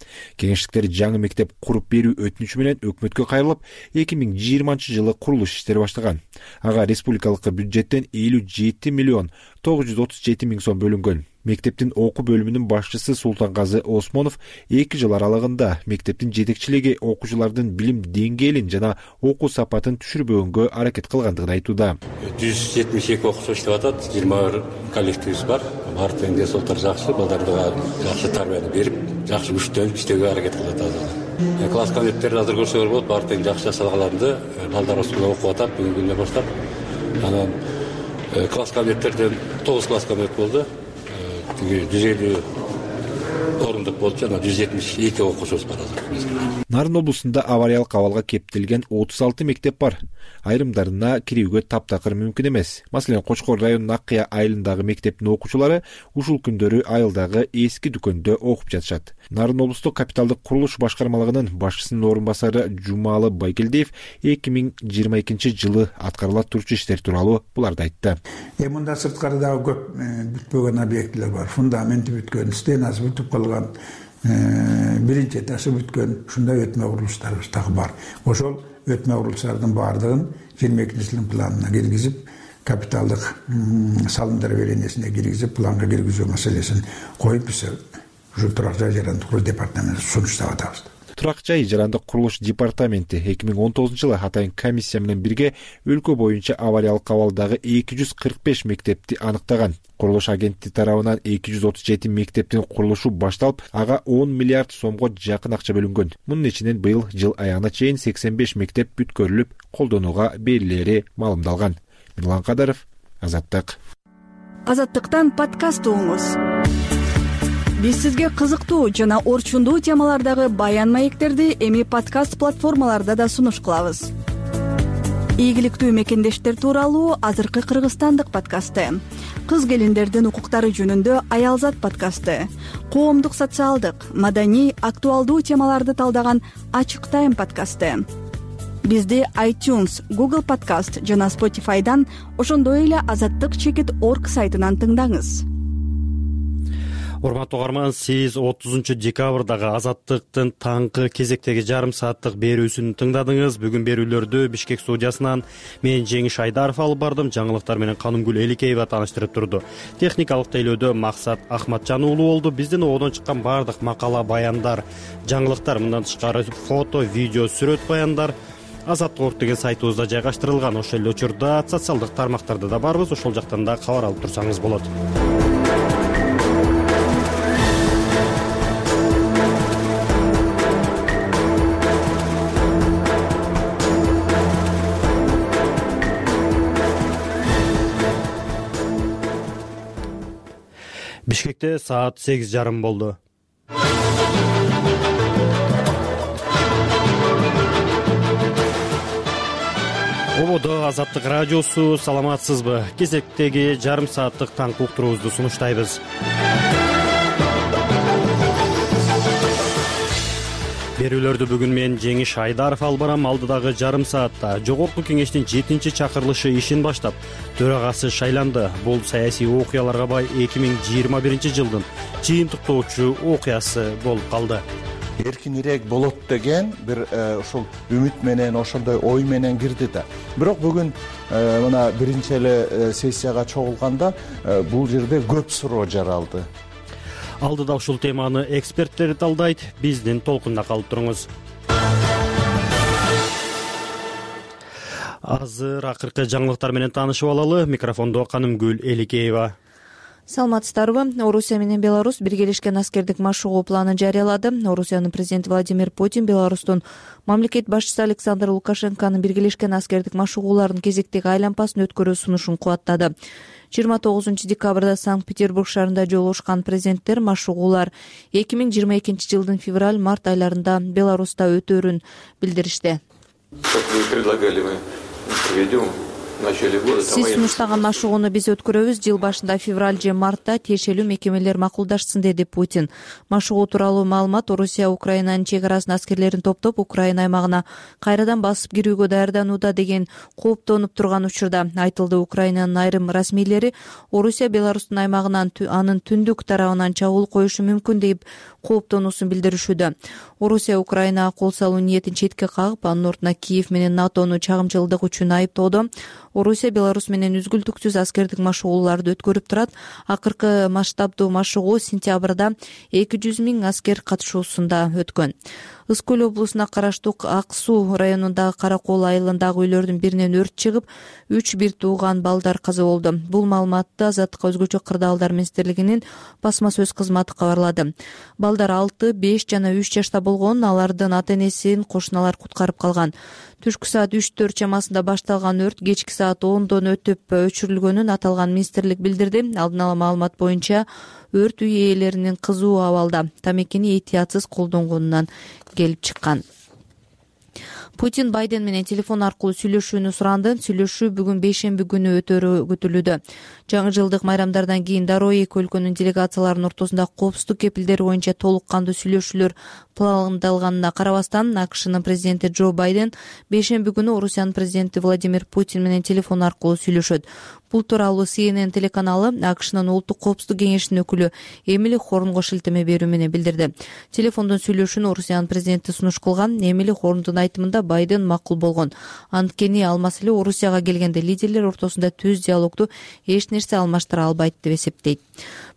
Кеңештиктер жаңы мектеп куруп берүү өтүнүчү менен өкмөткө кайрылып, 2020 жылы курулуш иштери баштаган. Ага республикалык бюджеттен 57 миллион 937 миң сом бөлүнгөн. Мектептин окуу бөлүмүнүн башчысы Султангазы Осмонов 2 жыл аралыгында мектептин жетекчилиги окуучулардын билим деңгээлин жана окуу сапатын түшүрбөгөнгө аракет кылгандыгын айтууда. 172 окуучу иштеп атат, 21 коллективибиз бар. Баардык деңгээлдер соолтор жакшы, балдарга жакшы тарбияны берип, жакшы күчтөнүп иштөөгө аракет кылып атат. Класс кабинеттерди азыр көрсөңөр болот, баардык жакшы жасалганды, балдар осунда окуп атат, бүгүнкү күндө баштап. Анан класс кабинеттерден 9 класс кабинет болду. 150 орундук болчу, жана 172 окуучубуз бар азыр. Нарын облусунда авариялык абалга кептелген 36 мектеп бар. Айрымдарына кирүүгө таптакыр мүмкүн эмес. Маселен, Кочкор районунун Аккыя айылындагы мектептин окуучулары ушул күндөрү айылдагы эски дүкөндө окуп жатышат. Нарын облустук капиталдык курулуш башкармалыгынын башчысынын орун басары Жумалы Байгелдиев 2022 жылы аткарыла турчу иштер тууралуу буларды айтты. Мында сырткарыдагы көп бүтпөгөн объектилер бар. Фундаменти бүткөн, стенасы бүтүп калган, биринчи этажы бүткөн, ушундай өтмө курулуштарыбыз дагы бар. Ошол өтмө курулуштардын баардыгын 22-жылдын планына киргизип, капиталдык салымдар беренесине киргизип, планга киргизүү маселесин коюп, биз ушу турак жай жарандык курулуш департаментине сунуштап атабыз. Турак жай жарандык курулуш департаменти 2019 жылы атайын комиссия менен бирге өлкө боюнча авариялык абалдагы 245 мектепти аныктаган. Курулуш агенттиги тарабынан 237 мектептин курулушу башталып, ага 10 миллиард сомго жакын акча бөлүнгөн. Мунун ичинен быйыл жыл аягына чейин 85 мектеп бүткөрүлүп, колдонууга берилери маалымдалган. Мирлан Кадыров, Азаттык. Азаттыктан подкаст угуңуз. Биз сизге кызыктуу жана орчундуу темалардагы баян маектерди эми подкаст платформаларда да сунуш кылабыз. Ийгиликтүү мекендештер тууралуу азыркы кыргызстандык подкасты, кыз келиндердин укуктары жөнүндө Аялзат подкасты, коомдук социалдык, маданий, актуалдуу темаларды талдаган Ачык Тайм подкасты. Бизди iTunes, Google Podcast жана Spotify'дан, ошондой эле azattik.org сайтынан тыңдаңыз. Урматтуу угарман, сиз 30 декабрдагы Азаттыктын таңкы кезектеги жарым сааттык берүүсүн тыңдадыңыз. Бүгүн берүүлөрдү Бишкек студиясынан мен Жеңиш Айдаров алып бардым. Жаңылыктар менен Канымгүл Эликеева тааныштырып турду. Техникалык тейлөөдө Максат Ахматжан уулу болду. Биздин ободон чыккан бардык макала, баяндар, жаңылыктар, мындан тышкары фото, видео, сүрөт баяндар Азаттык деген сайтыбызда жайгаштырылган. Ошол эле учурда социалдык тармактарда да барбыз. Ошол жактан да кабар алып турсаңыз болот. Бишкекте саат 8:30 болду. Ободо Азаттык радиосу, саламатсызбы? Кезектеги жарым сааттык таңкы уктуруубузду сунуштайбыз. Берүүлөрдү бүгүн мен Жеңиш Айдаров алып барам. Алдыдагы жарым саатта Жогорку кеңештин 7-чакырылышы ишин баштап, төрагасы шайланды. Бул саясий окуяларга бай 2021 жылдын жыйынтыктоочу окуясы болуп калды. Эркинирээк болот деген бир ушул үмүт менен, ошондой ой менен кирди да. Бирок бүгүн мына биринчи эле сессияга чогулганда бул жерде көп суроо жаралды. Алдыда ушул теманы эксперттер талдайт. Биздин толкунда калып туруңуз. Азыр акыркы жаңылыктар менен таанышып алалы. Микрофондо Канымгүл Эликеева. Саламатсыздарбы? Орусия менен Беларусь биргелешкен аскердик машыгуу планын жарыялады. Орусиянын президенти Владимир Путин Беларустун мамлекет башчысы Александр Лукашенконун биргелешкен аскердик машыгуулардын кезектеги айлампасын өткөрүү сунушун кубаттады. 29 декабрда Санкт-Петербург шаарында жолугушкан президенттер машыгуулар 2022 жылдын февраль-март айларында Беларуста өтөөрүн билдиришти. Сиз сунуштаган машыгууну биз өткөрөбүз. Жыл башында февраль же мартта тиешелүү мекемелер макулдашсын, деди Путин. Машыгуу тууралуу маалымат Орусия Украинанын чек арасына аскерлерин топтоп, Украина аймагына кайрадан басып кирүүгө даярданууда деген кооптонуп турган учурда айтылды. Украинанын айрым расмийлери Орусия Беларустун аймагынан анын түндүк тарабынан чабуул коюшу мүмкүн деп кооптонуусун билдиришүүдө. Орусия Украинага кол салуу ниетин четке кагып, анын ордуна Киев менен НАТОну чагымчылдык үчүн айыптоодо. Орусия Беларусь менен үзгүлтүксүз аскердик машыгууларды өткөрүп турат. Акыркы масштабдуу машыгуу сентябрда 200 000 аскер катышуусунда өткөн. Ысык көл облусуна караштуу Ак Суу районундагы Каракол айылындагы үйлөрдүн биринен өрт чыгып, 3 бир тууган балдар каза болду. Бул маалыматты Азаттыкка өзгөчө кырдаалдар министрлигинин басма сөз кызматы кабарлады. Балдар 6, 5 жана 3 жашта болгон, алардын ата-энесин кошуналар куткарып калган. Түшкү саат 3-4 чамасында башталган өрт кечки саат 10дон өтүп өчүрүлгөнүн аталган министрлик билдирди. Алдын ала маалымат боюнча өрт үй ээлеринин кызуу абалда тамекини этиятсыз колдонгонунан келип чыккан. Путин Байден менен телефон аркылуу сүйлөшүүнү суранды. Сүйлөшүү бүгүн бейшемби күнү өтөрү күтүлүүдө. Жаңы жылдык майрамдардан кийин дароо эки өлкөнүн делегацияларынын ортосунда коопсуздук кепилдери боюнча толук кандуу сүйлөшүүлөр пландалганына карабастан, АКШнын президенти Джо Байден бейшемби күнү Орусиянын президенти Владимир Путин менен телефон аркылуу сүйлөшөт. Бул тууралуу CNN телеканалы АКШнын улуттук коопсуздук кеңешинин өкүлү Эмили Хорнго шилтеме берүү менен билдирди. Телефондон сүйлөшүүнү Орусиянын президенти сунуш кылган. Эмили Хорндун айтымында Байден макул болгон. Анткени ал маселе Орусияга келгенде лидерлер ортосунда түз диалогду эч нерсе алмаштыра албайт деп эсептейт.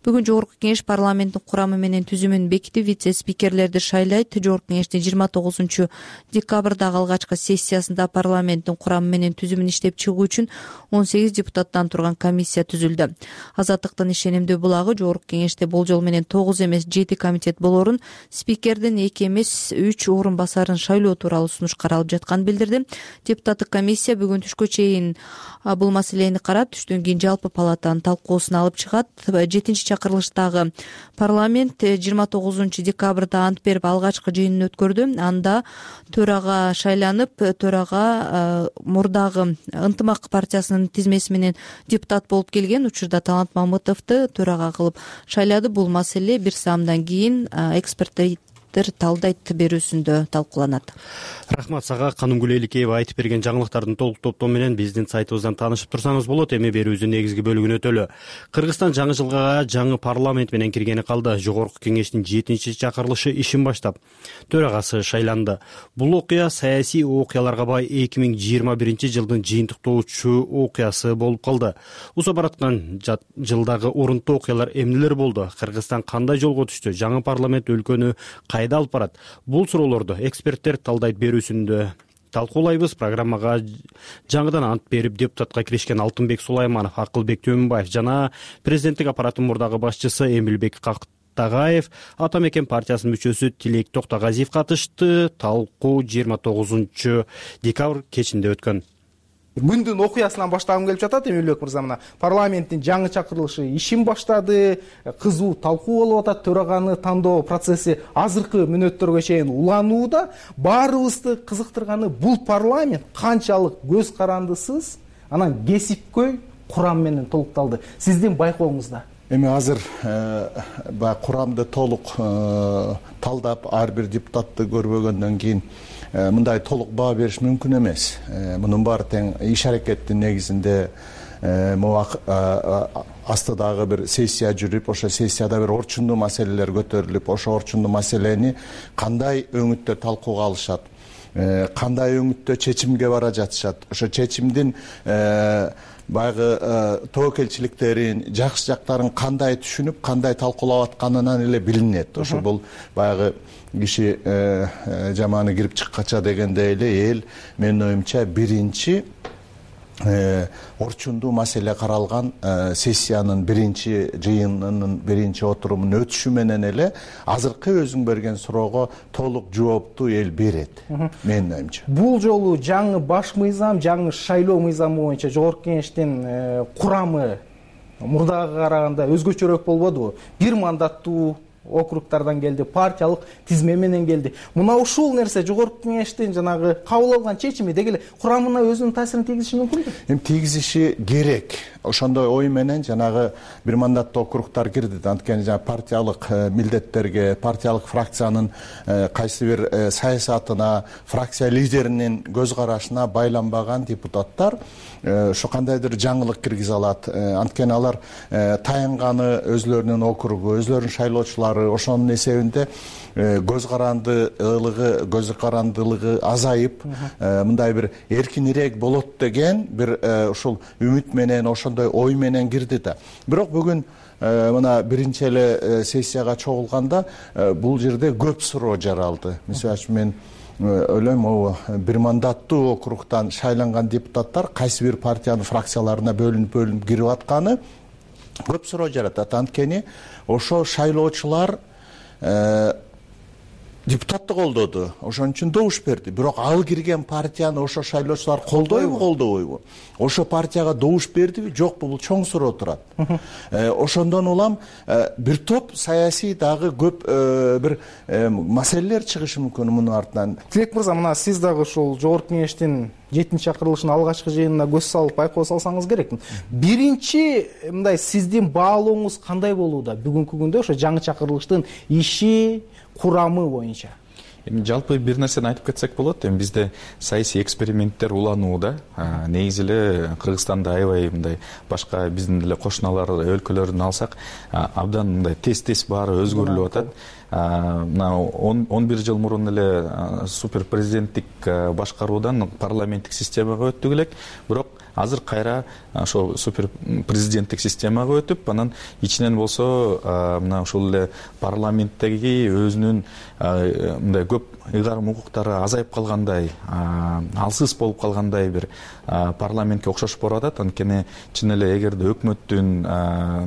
Бүгүн Жогорку кеңеш парламенттин курамы менен түзүмүн бекитип, вице-спикерлерди шайлайт. Жогорку кеңештин 29 декабрдагы алгачкы сессиясында парламенттин курамы менен түзүмүн иштеп чыгуу үчүн 18 депутаттан турган комиссия түзүлдү. Азаттыктын ишенимдүү булагы Жогорку кеңеште болжол менен 9 эмес 7 комитет болорун, спикердин 2 эмес 3 орун басарын шайлоо тууралуу сунуш каралып жатканын билдирди. Депутаттык комиссия бүгүн түшкө чейин бул маселени карап, түштөн кийин жалпы палатанын талкуусуна алып чыгат. 7-чакырылыштагы парламент 29 декабрда ант берип алгачкы жыйынын өткөрдү. Анда төрага шайланып, төрага мурдагы Ынтымак партиясынын тизмеси менен депутат болуп келген учурда Талант Мамытовду төрага кылып шайлады. Бул маселе бир саамдан кийин эксперттер талдайт берүүсүндө талкууланат. Рахмат сага. Канымгүл Эликеева айтып берген жаңылыктардын толук топтому менен биздин сайтыбыздан таанышып турсаңыз болот. Эми берүүбүздүн негизги бөлүгүнө өтөлү. Кыргызстан жаңы жылга жаңы парламент менен киргени калды. Жогорку кеңештин 7-чакырылышы ишин баштап, төрагасы шайланды. Бул окуя саясий окуяларга бай 2021 жылдын жыйынтыктоочу окуясы болуп калды. Уза бараткан жылдагы орунтуу окуялар эмнелер болду? Кыргызстан кандай жолго түштү? Жаңы парламент өлкөнү кайда алып барат? Бул суроолорду эксперттер талдайт берүүсүндө талкуулайбыз. Программага жаңыдан ант берип депутатка киришкен Алтынбек Сулайманов, Акылбек Төмөнбаев жана президенттик аппараттын мурдагы башчысы Эмилбек Тагаев, Ата мекен партиясынын мүчөсү Тилек Токтогазиев катышты. Талкуу 29 декабрь кечинде өткөн. күндүн окуясынан баштагым келип жатат. Эмилбек мырза, мына парламенттин жаңы чакырылышы ишин баштады, кызуу талкуу болуп атат, төраганы тандоо процесси азыркы мүнөттөргө чейин уланууда. Баарыбызды кызыктырганы бул парламент канчалык көз карандысыз, анан кесипкөй курам менен толукталды. Сиздин байкооңузда? Эми азыр баягы курамды толук талдап, ар бир депутатты көрбөгөндөн кийин мындай толук баа бериш мүмкүн эмес. Мунун баары тең иш аракеттин негизинде астыдагы бир сессия жүрүп, ошо сессияда бир орчундуу маселелер көтөрүлүп, ошо орчундуу маселени кандай өңүттө талкууга алышат, кандай өңүттө чечимге бара жатышат, ошо чечимдин баягы тобокелчиликтерин, жакшы жактарын кандай түшүнүп, кандай талкуулап атканынан эле билинет. Ошо бул баягы киши жаманы кирип чыккача дегендей эле эл, менин оюмча, биринчи орчундуу маселе каралган сессиянын биринчи жыйынынын биринчи отурумун өтүшү менен эле азыркы өзүң берген суроого толук жоопту эл берет, менин оюмча. Бул жолу жаңы баш мыйзам, жаңы шайлоо мыйзамы боюнча жогорку кеңештин курамы мурдага караганда өзгөчөрөөк болбодубу? Бир мандаттуу округтардан келди, партиялык тизме менен келди. Мына ушул нерсе жогорку кеңештин жанагы кабыл алган чечими деги эле курамына өзүнүн таасирин тийгизиши мүмкүнбү? Эми тийгизиши керек. Ошондой ой менен жанагы бир мандаттуу округтар кирди. Анткени жанагы партиялык милдеттерге, партиялык фракциянын кайсы бир саясатына, фракция лидеринин көз карашына байланбаган депутаттар ошо кандайдыр жаңылык киргизе алат. Анткени алар таянганы өзлөрүнүн округу, өзлөрүнүн шайлоочулары, ошонун эсебинде көз карандылыгы азайып, мындай бир эркинирээк болот деген бир ушул үмүт менен, ошондой ой менен кирди да. Бирок бүгүн мына биринчи эле сессияга чогулганда бул жерде көп суроо жаралды. Мисалы үчүн мен ойлойм, бир мандаттуу округтан шайланган депутаттар кайсы бир партиянын фракцияларына бөлүнүп кирип атканы көп суроо жаратат. Анткени ошо шайлоочулар депутатты колдоду, ошон үчүн добуш берди. Бирок ал кирген партияны ошо шайлоочулар колдойбу? Ошо партияга добуш бердиби, жокпу? Бул чоң суроо турат. Ошондон улам бир топ саясий дагы көп бир маселелер чыгышы мүмкүн мунун артынан. Тилек мырза, мына сиз дагы ушул жогорку кеңештин 7-чи чакырылышынын алгачкы жыйынына көз салып байкоо салсаңыз керек. Биринчи мындай сиздин баалооңуз кандай болууда бүгүнкү күндө ошо жаңы чакырылыштын иши, курамы боюнча? Эми жалпы бир нерсени айтып кетсек болот. Эми бизде саясий эксперименттер уланууда. Негизи эле Кыргызстанда аябай мындай башка биздин деле кошуналар өлкөлөрүн алсак, абдан мындай тез баары өзгөрүлүп атат. Мына 11 жыл мурун эле супер президенттик башкаруудан парламенттик системага өттүк элек. Бирок азыр кайра ошо супер президенттик системага өтүп, анан ичинен болсо мына ушул эле парламенттеги өзүнүн мындай көп ыйгарым укуктары азайып калгандай, алсыз болуп калгандай бир парламентке окшош болуп атат. Анткени чын эле эгерде өкмөттүн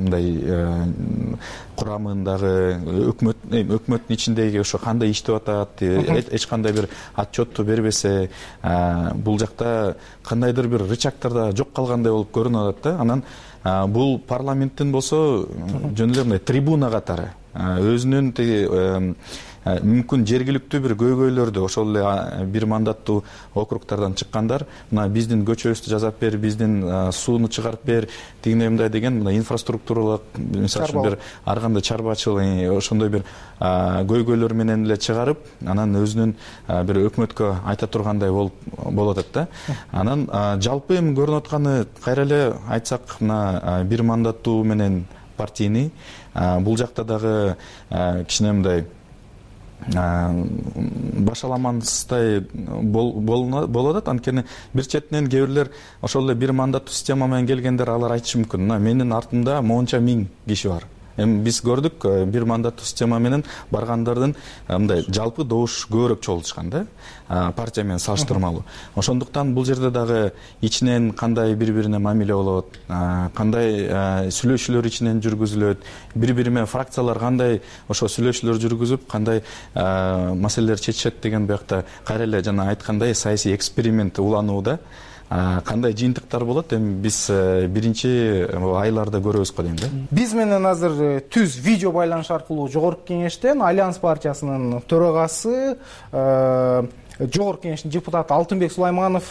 мындай курамындагы өкмөттүн ичиндеги ошо кандай иштеп атат, эч кандай бир отчетту бербесе, бул жакта кандайдыр бир рычагтарда жок калгандай болуп көрүнүп атат да. Анан бул парламенттин болсо жөн эле мындай трибуна катары өзүнүн мүмкүн жергиликтүү бир көйгөйлөрдү ошол эле бир мандаттуу округтардан чыккандар мына биздин көчөбүздү жасап бер, биздин сууну чыгарып бер, тигиндей мындай деген мына инфраструктуралык, мисалы үчүн бир ар кандай чарбачылык ошондой бир көйгөйлөр менен эле чыгарып, анан өзүнүн бир өкмөткө айта тургандай болуп атат да. Анан жалпы эми көрүнүп атканы кайра эле айтсак, мына бир мандаттуу менен партийный бул жакта дагы кичине мындай башаламансыздай болуп атат. Анткени бир четинен кээ бирлер ошол эле бир мандаттуу система менен келгендер алар айтышы мүмкүн, мына менин артымда монча миң киши бар. Эми биз көрдүк, бир мандаттуу система менен баргандардын мындай жалпы добуш көбүрөөк чогултушкан да, партия менен салыштырмалуу. Ошондуктан бул жерде дагы ичинен кандай бири-бирине мамиле болот, кандай сүйлөшүүлөр ичинен жүргүзүлөт, бири-бири менен фракциялар кандай ошо сүйлөшүүлөр жүргүзүп, кандай маселелер чечишет деген буякта кайра эле жана айткандай саясий эксперимент уланууда. кандай жыйынтыктар болот эми биз биринчи айларда көрөбүз го дейм да. Биз менен азыр түз видео байланыш аркылуу Жогорку Кеңештен Альянс партиясынын төрагасы, Жогорку Кеңештин депутаты Алтынбек Сулайманов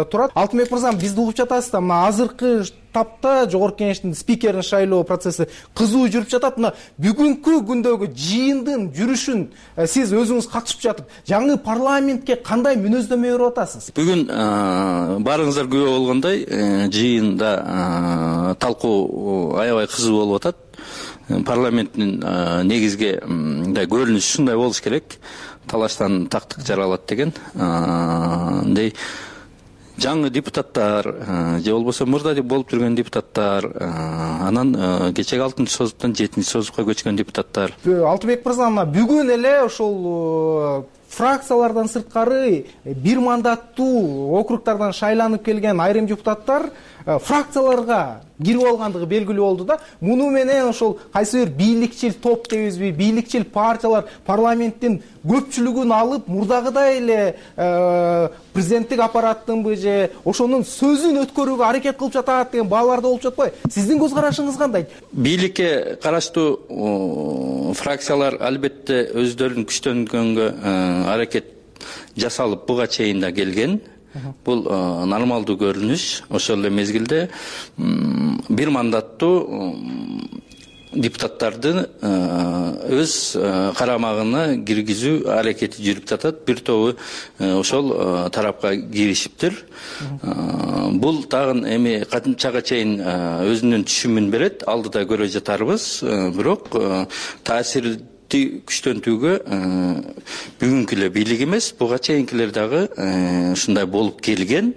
турат. Алтынбек мырза, бизди угуп жатасыз да, мына азыркы тапта Жогорку Кеңештин спикерин шайлоо процесси кызуу жүрүп жатат. Мына бүгүнкү күндөгү жыйындын жүрүшүн сиз өзүңүз катышып жатып, жаңы парламентке кандай мүнөздөмө берип атасыз? Бүгүн баарыңыздар күбө болгондой жыйында талкуу аябай кызуу болуп атат. Парламенттин негизги көрүнүшү ушундай болуш керек. Талаштан тактык жаралат деген. Жаңы депутаттар же болбосо мурда болуп жүргөн депутаттар, анан кечеги 6-чы созуптан 7-чи созупка көчкөн депутаттар. Алтынбек мырза, бүгүн эле ошол фракциялардан сырткары бир мандаттуу округтардан шайланып келген айрым депутаттар фракцияларга кирип алгандыгы белгилүү болду да. Муну менен ошол кайсы бир бийликчил топ дейбизби, бийликчил партиялар парламенттин көпчүлүгүн алып, мурдагыдай эле президенттик аппараттынбы же ошонун сөзүн өткөрүүгө аракет кылып жатат деген баалар да болуп жатпайбы? Сиздин көз карашыңыз кандай? Бийликке караштуу фракциялар албетте өздөрүн күчтөнгөнгө аракет жасалып буга чейин да келген. Бул нормалдуу көрүнүш. Ошол эле мезгилде бир мандаттуу депутаттарды өз карамагына киргизүү аракети жүрүп жатат. Бир тобу ошол тарапка киришиптир. Бул тагын эми кантчага чейин өзүнүн түшүмүн берет, алдыда көрө жатарбыз. Бирок таасир күчтөнтүүгө бүгүнкү эле бийлик эмес, буга чейинкилер дагы ушундай болуп келген.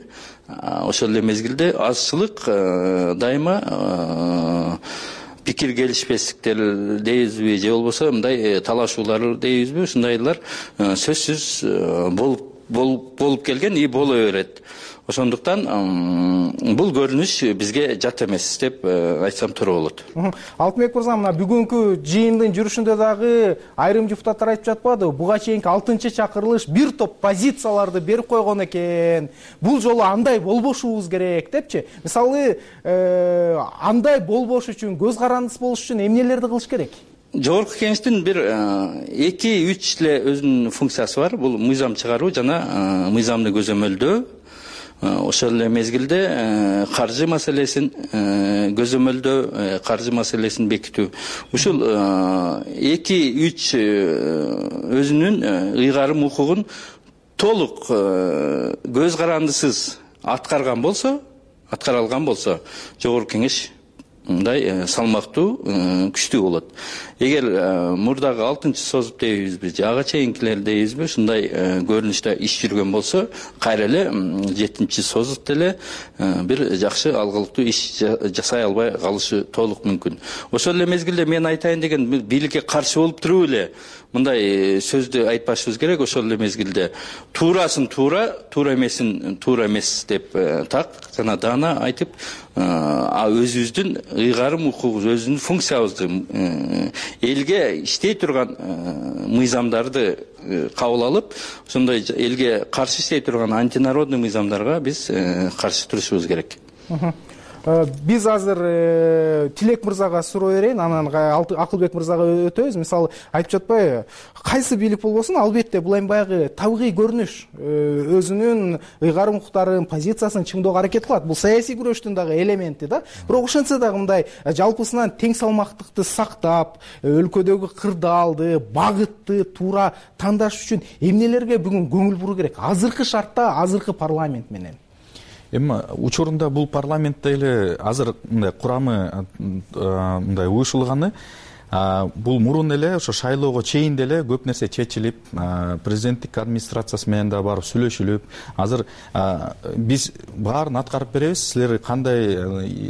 Ошол эле мезгилде азчылык дайыма пикир келишпестиктер дейбизби же болбосо мындай талашуулар дейбизби, ушундайлар сөзсүз болуп келген и боло берет. Ошондуктан бул көрүнүш бизге жат эмес деп айтсам туура болот. Алтынбек мырза, мына бүгүнкү жыйындын жүрүшүндө дагы айрым депутаттар айтып жатпадыбы? Буга чейинки 6-чы чакырылыш бир топ позицияларды берип койгон экен. Бул жолу андай болбошубуз керек депчи. Мисалы, андай болбош үчүн, көз карандысыз болуш үчүн эмнелерди кылыш керек? Жогорку Кеңештин бир 2-3 эле өзүнүн функциясы бар. Бул мыйзам чыгаруу жана мыйзамды көзөмөлдөө. Ошол эле мезгилде каржы маселесин көзөмөлдөө, каржы маселесин бекитүү. Ушул 2-3 өзүнүн ыйгарым укугун толук көз карандысыз аткара алган болсо, Жогорку Кеңеш мындай салмактуу, күчтүү болот. Эгер мурдагы 6-чы созуп дейбизби, ага чейинкилер дейбизби, ушундай көрүнүштө иш жүргөн болсо, кайра эле 7-чи созупта эле бир жакшы алгылыктуу иш жасай албай калышы толук мүмкүн. Ошол эле мезгилде мен айтайын деген, бийликке каршы болуп туруп эле мындай сөздү айтпашыбыз керек. Ошол эле мезгилде туурасын туура, туура эмесин туура эмес деп так жана даана айтып, өзүбүздүн ыйгарым укугубуз, өзүнүн функциябызды, элге иштей турган мыйзамдарды кабыл алып, ошондой элге каршы иштей турган антинародный мыйзамдарга биз каршы турушубуз керек. Биз азыр Тилек мырзага суроо берейин, анан Акылбек мырзага өтөбүз. Мисалы, айтып жатпайбы, кайсы бийлик болбосун, албетте бул эми баягы табигый көрүнүш, өзүнүн ыйгарым укуктарын, позициясын чыңдоого аракет кылат. Бул саясий күрөштүн дагы элементи да. Бирок ошентсе дагы мындай жалпысынан тең салмактыкты сактап, өлкөдөгү кырдаалды, багытты туура тандаш үчүн эмнелерге бүгүн көңүл буруу керек? Азыркы шартта, азыркы парламент менен. Эми учурунда бул парламентте эле азыр мындай курамы мындай уюшулганы, бул мурун эле ошо шайлоого чейин деле көп нерсе чечилип, президенттик администрациясы менен да барып сүйлөшүлүп, азыр биз баарын аткарып беребиз, силер кандай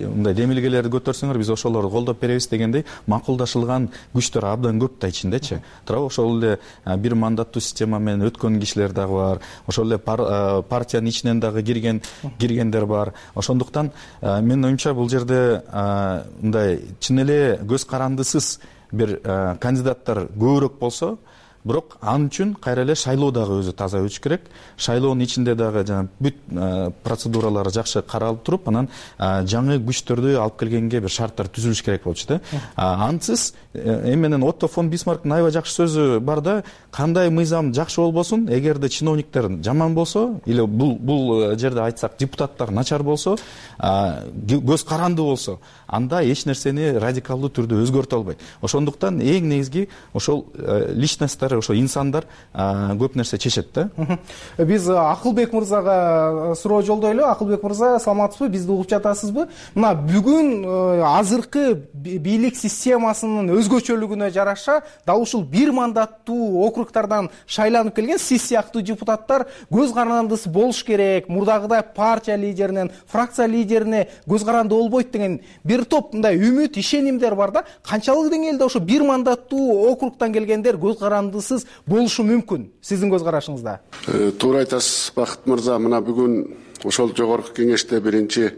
мындай демилгелерди көтөрсөңөр биз ошолорду колдоп беребиз дегендей макулдашылган күчтөр абдан көп да ичиндечи. Туурабы, ошол эле бир мандаттуу система менен өткөн кишилер дагы бар, ошол эле партиянын ичинен дагы киргендер бар. Ошондуктан менин оюмча бул жерде мындай чын эле көз карандысыз бир кандидаттар көбүрөөк болсо, бирок ал үчүн кайра эле шайлоо дагы өзү таза өтүш керек. Шайлоонун ичинде дагы жана бүт процедуралары жакшы каралып туруп, анан жаңы күчтөрдү алып келгенге бир шарттар түзүлүш керек болчу да. Ансыз эми менен Отто фон Бисмарктын аябай жакшы сөзү бар да, кандай мыйзам жакшы болбосун, эгерде чиновниктер жаман болсо или бул жерде айтсак депутаттар начар болсо, көз каранды болсо, анда эч нерсени радикалдуу түрдө өзгөртө албайт. Ошондуктан эң негизги ошол личносттар, ошо инсандар көп нерсе чечет да. Биз Акылбек мырзага суроо жолдойлу. Акылбек мырза, саламатсызбы? Бизди угуп жатасызбы? Мына бүгүн азыркы бийлик системасынын өзгөчөлүгүнө жараша дал ушул бир мандаттуу округтардан шайланып келген сиз сыяктуу депутаттар көз карандысы болуш керек, мурдагыдай партия лидеринен, фракция лидерине көз каранды болбойт деген бир топ мындай үмүт, ишенимдер бар да. Канчалык деңгээлде ошо бир мандаттуу округтан келгендер көз карандысыз болушу мүмкүн сиздин көз карашыңызда? Туура айтасыз, Бакыт мырза. Мына бүгүн ошол жогорку кеңеште биринчи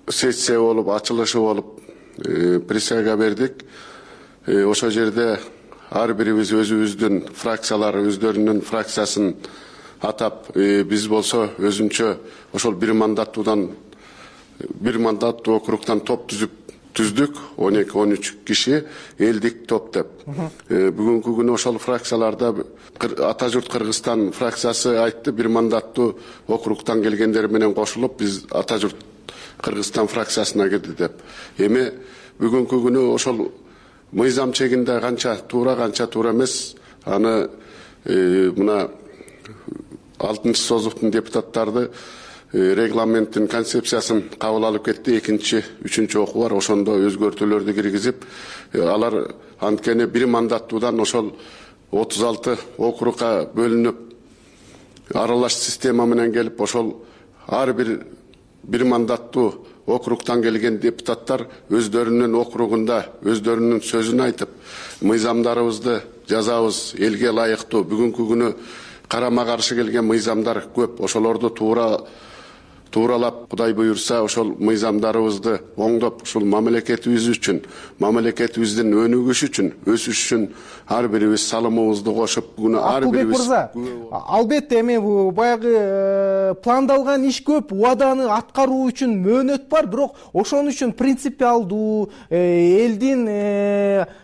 сессия болуп, ачылышы болуп, присяга бердик. Ошол жерде ар бирибиз өзүбүздүн фракциялары өздөрүнүн фракциясын атап, биз болсо өзүнчө ошол бир мандаттуу округтан топ түздүк, 12-13 киши элдик топ деп. Бүгүнкү күнү ошол фракцияларда Ата журт Кыргызстан фракциясы айтты, бир мандаттуу округтан келгендер менен кошулуп, биз Ата журт Кыргызстан фракциясына кирди деп. Эми бүгүнкү күнү ошол мыйзам чегинде канча туура эмес, аны мына 6-чы созуктун депутаттарды регламенттин концепциясын кабыл алып кетти. 2-3 окуу бар, ошондо өзгөртүүлөрдү киргизип, алар анткени бир мандаттуудан ошол 36 округга бөлүнүп, аралаш система менен келип, ошол ар бир мандаттуу округтан келген депутаттар өздөрүнүн округунда өздөрүнүн сөзүн айтып, мыйзамдарыбызды жазабыз элге ылайыктуу. Бүгүнкү күнү карама каршы келген мыйзамдар көп. Ошолорду тууралап, Кудай буйрса, ошол мыйзамдарыбызды оңдоп, ушул мамлекетибиз үчүн, мамлекетибиздин өнүгүшү үчүн, өсүшү үчүн ар бирибиз салымыбызды кошуп, бүгүн ар бирибиз. Акылбек мырза, албетте эми баягы пландалган иш көп, убаданы аткаруу үчүн мөөнөт бар, бирок ошон үчүн принципиалдуу элдин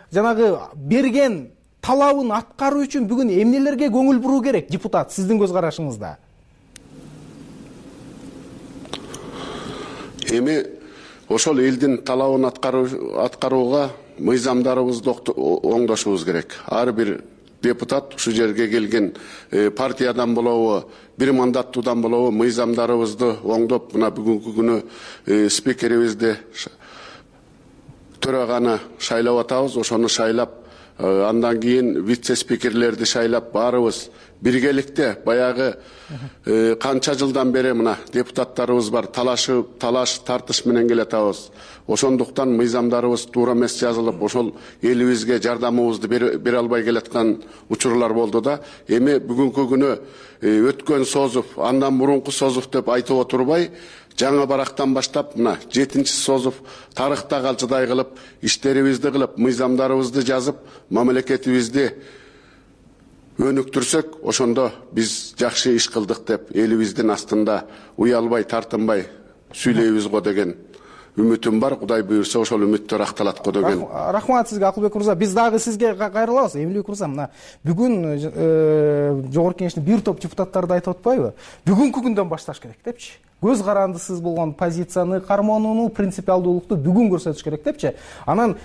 жанагы берген талабын аткаруу үчүн бүгүн эмнелерге көңүл буруу керек депутат сиздин көз карашыңызда? Эми ошол элдин талабын аткарууга мыйзамдарыбызды оңдошубуз керек. Ар бир депутат ушул жерге келген партиядан болобу, бир мандаттуудан болобу, мыйзамдарыбызды оңдоп, мына бүгүнкү күнү спикерибизди төраганы шайлап атабыз, ошону шайлап, андан кийин вице-спикерлерди шайлап, баарыбыз биргеликте баягы канча жылдан бери мына депутаттарыбыз бар, талаш тартыш менен келатабыз. Ошондуктан мыйзамдарыбыз туура эмес жазылып, ошол элибизге жардамыбызды бере албай келаткан учурлар болду да. Эми бүгүнкү күнү өткөн созуп, андан мурунку созуп деп айтып отурбай, жаңы барактан баштап, мына 7-чи созуп тарыхта калчыдай кылып, иштерибизди кылып, мыйзамдарыбызды жазып, мамлекетибизди өнүктүрсөк, ошондо биз жакшы иш кылдык деп элибиздин астында уялбай, тартынбай сүйлөйбүз го деген үмүтүм бар. Кудай буйрса, ошол үмүттөр акталат го деген. Рахмат сизге, Акылбек мырза. Биз дагы сизге кайрылабыз. Эмилбек мырза, мына бүгүн жогорку кеңештин бир топ депутаттары да айтып атпайбы? Бүгүнкү күндөн башташ керек депчи. Көз карандысыз болгон позицияны, карманууну, принципиалдуулукту бүгүн көрсөтүш керек депчи. Анан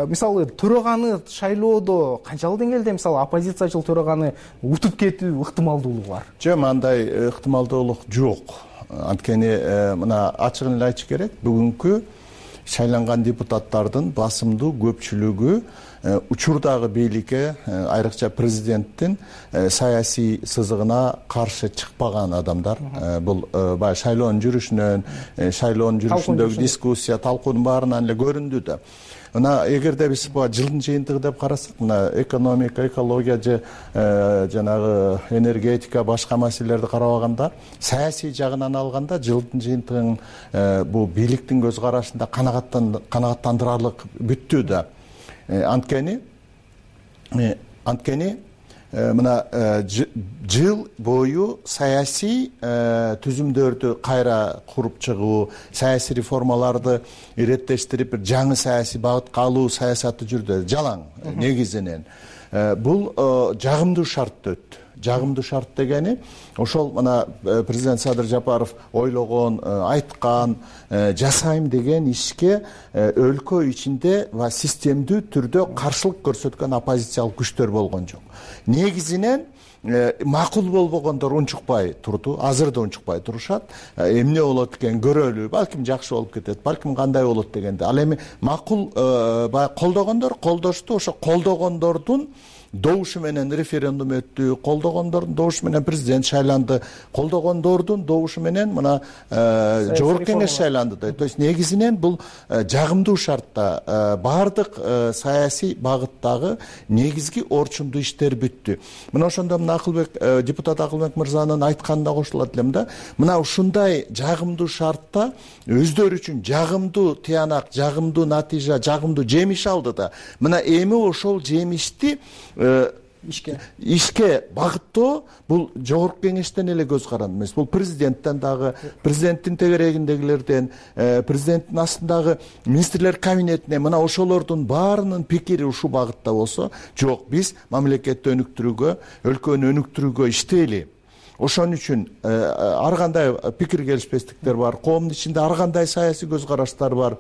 мисалы төраганы шайлоодо канчалык деңгээлде мисалы оппозициячыл төраганы утуп кетүү ыктымалдуулугу бар? Жок, андай ыктымалдуулук жок. Анткени мына ачыгын эле айтыш керек, бүгүнкү шайланган депутаттардын басымдуу көпчүлүгү учурдагы бийликке, айрыкча президенттин саясий сызыгына каршы чыкпаган адамдар. Бул баягы шайлоонун жүрүшүндөгү дискуссия, талкуунун баарынан эле көрүндү да. Мына эгерде биз жылдын жыйынтыгы деп карасак, мына экономика, экология же жанагы энергетика, башка маселелерди карабаганда, саясий жагынан алганда жылдын жыйынтыгын бул бийликтин көз карашында канааттандырарлык бүттү да. Анткени мына жыл бою саясий түзүмдөрдү кайра куруп чыгуу, саясий реформаларды иреттештирип, бир жаңы саясий багытка алуу саясаты жүрдү. Жалаң негизинен. Бул жагымдуу шарт өттү. Жагымдуу шарт дегени ошол мына президент Садыр Жапаров ойлогон, айткан, жасайм деген ишке өлкө ичинде ва системдүү түрдө каршылык көрсөткөн оппозициялык күчтөр болгон жок. Негизинен макул болбогондор унчукпай турду, азыр да унчукпай турушат. Эмне болот экен көрөлү, балким жакшы болуп кетет, балким кандай болот дегенде. Ал эми макул колдогондор колдошту, ошо колдогондордун добушу менен референдум өттү, колдогондордун добушу менен президент шайланды, колдогондордун добушу менен мына жогорку кеңеш шайланды. То есть негизинен бул жагымдуу шартта баардык саясий багыттагы негизги орчундуу иштер бүттү. Мына ошондо мына депутат Акылбек мырзанын айтканына кошулат элем да. Мына ушундай жагымдуу шартта өздөрү үчүн жагымдуу тыянак, жагымдуу натыйжа, жагымдуу жемиш алды да. Мына эми ошол жемишти ишке багыттоо бул жогорку кеңештен эле көз каранды эмес. Бул президенттен дагы, президенттин тегерегиндегилерден, президенттин астындагы министрлер кабинетине мына ошолордун баарынын пикири ушул багытта болсо, жок, биз мамлекетти өнүктүрүүгө, өлкөнү өнүктүрүүгө иштейли. Ошон үчүн ар кандай пикир келишпестиктер бар, коомдун ичинде ар кандай саясий көз караштар бар.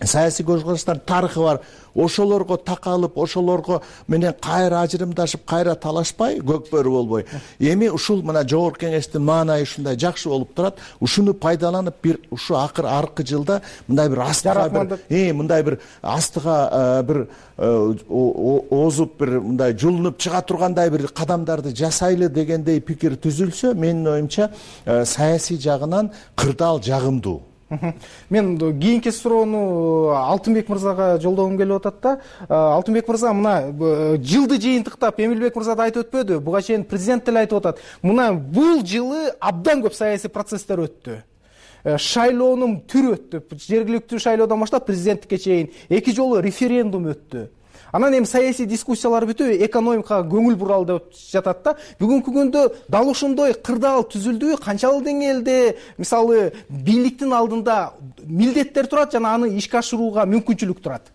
Саясий көз караштардын тарыхы бар. Ошолорго такалып, ошолорго менен кайра ажырымдашып, кайра талашпай, көкбөрү болбой. Эми ушул мына жогорку кеңештин маанайы ушундай жакшы болуп турат. Ушуну пайдаланып бир ушу аркы жылда мындай бир астыга мындай бир астыга бир озуп бир мындай жулунуп чыга тургандай бир кадамдарды жасайлы дегендей пикир түзүлсө, менин оюмча саясий жагынан кырдаал жагымдуу. Мен кийинки суроону Алтынбек мырзага жолдогум келип атат да. Алтынбек мырза, мына жылды жыйынтыктап Эмилбек мырза да айтып өтпөдү, буга чейин президент деле айтып атат. Мына бул жылы абдан көп саясий процесстер өттү. Шайлоонун түрү өттү. Жергиликтүү шайлоодон баштап президенттикке чейин 2 жолу референдум өттү. Анан эми саясий дискуссиялар бүтүп, экономикага көңүл буралы деп жатат да. Бүгүнкү күндө дал ушундай кырдаал түзүлдү, канчалык деңгээлде мисалы бийликтин алдында милдеттер турат жана аны ишке ашырууга мүмкүнчүлүк турат?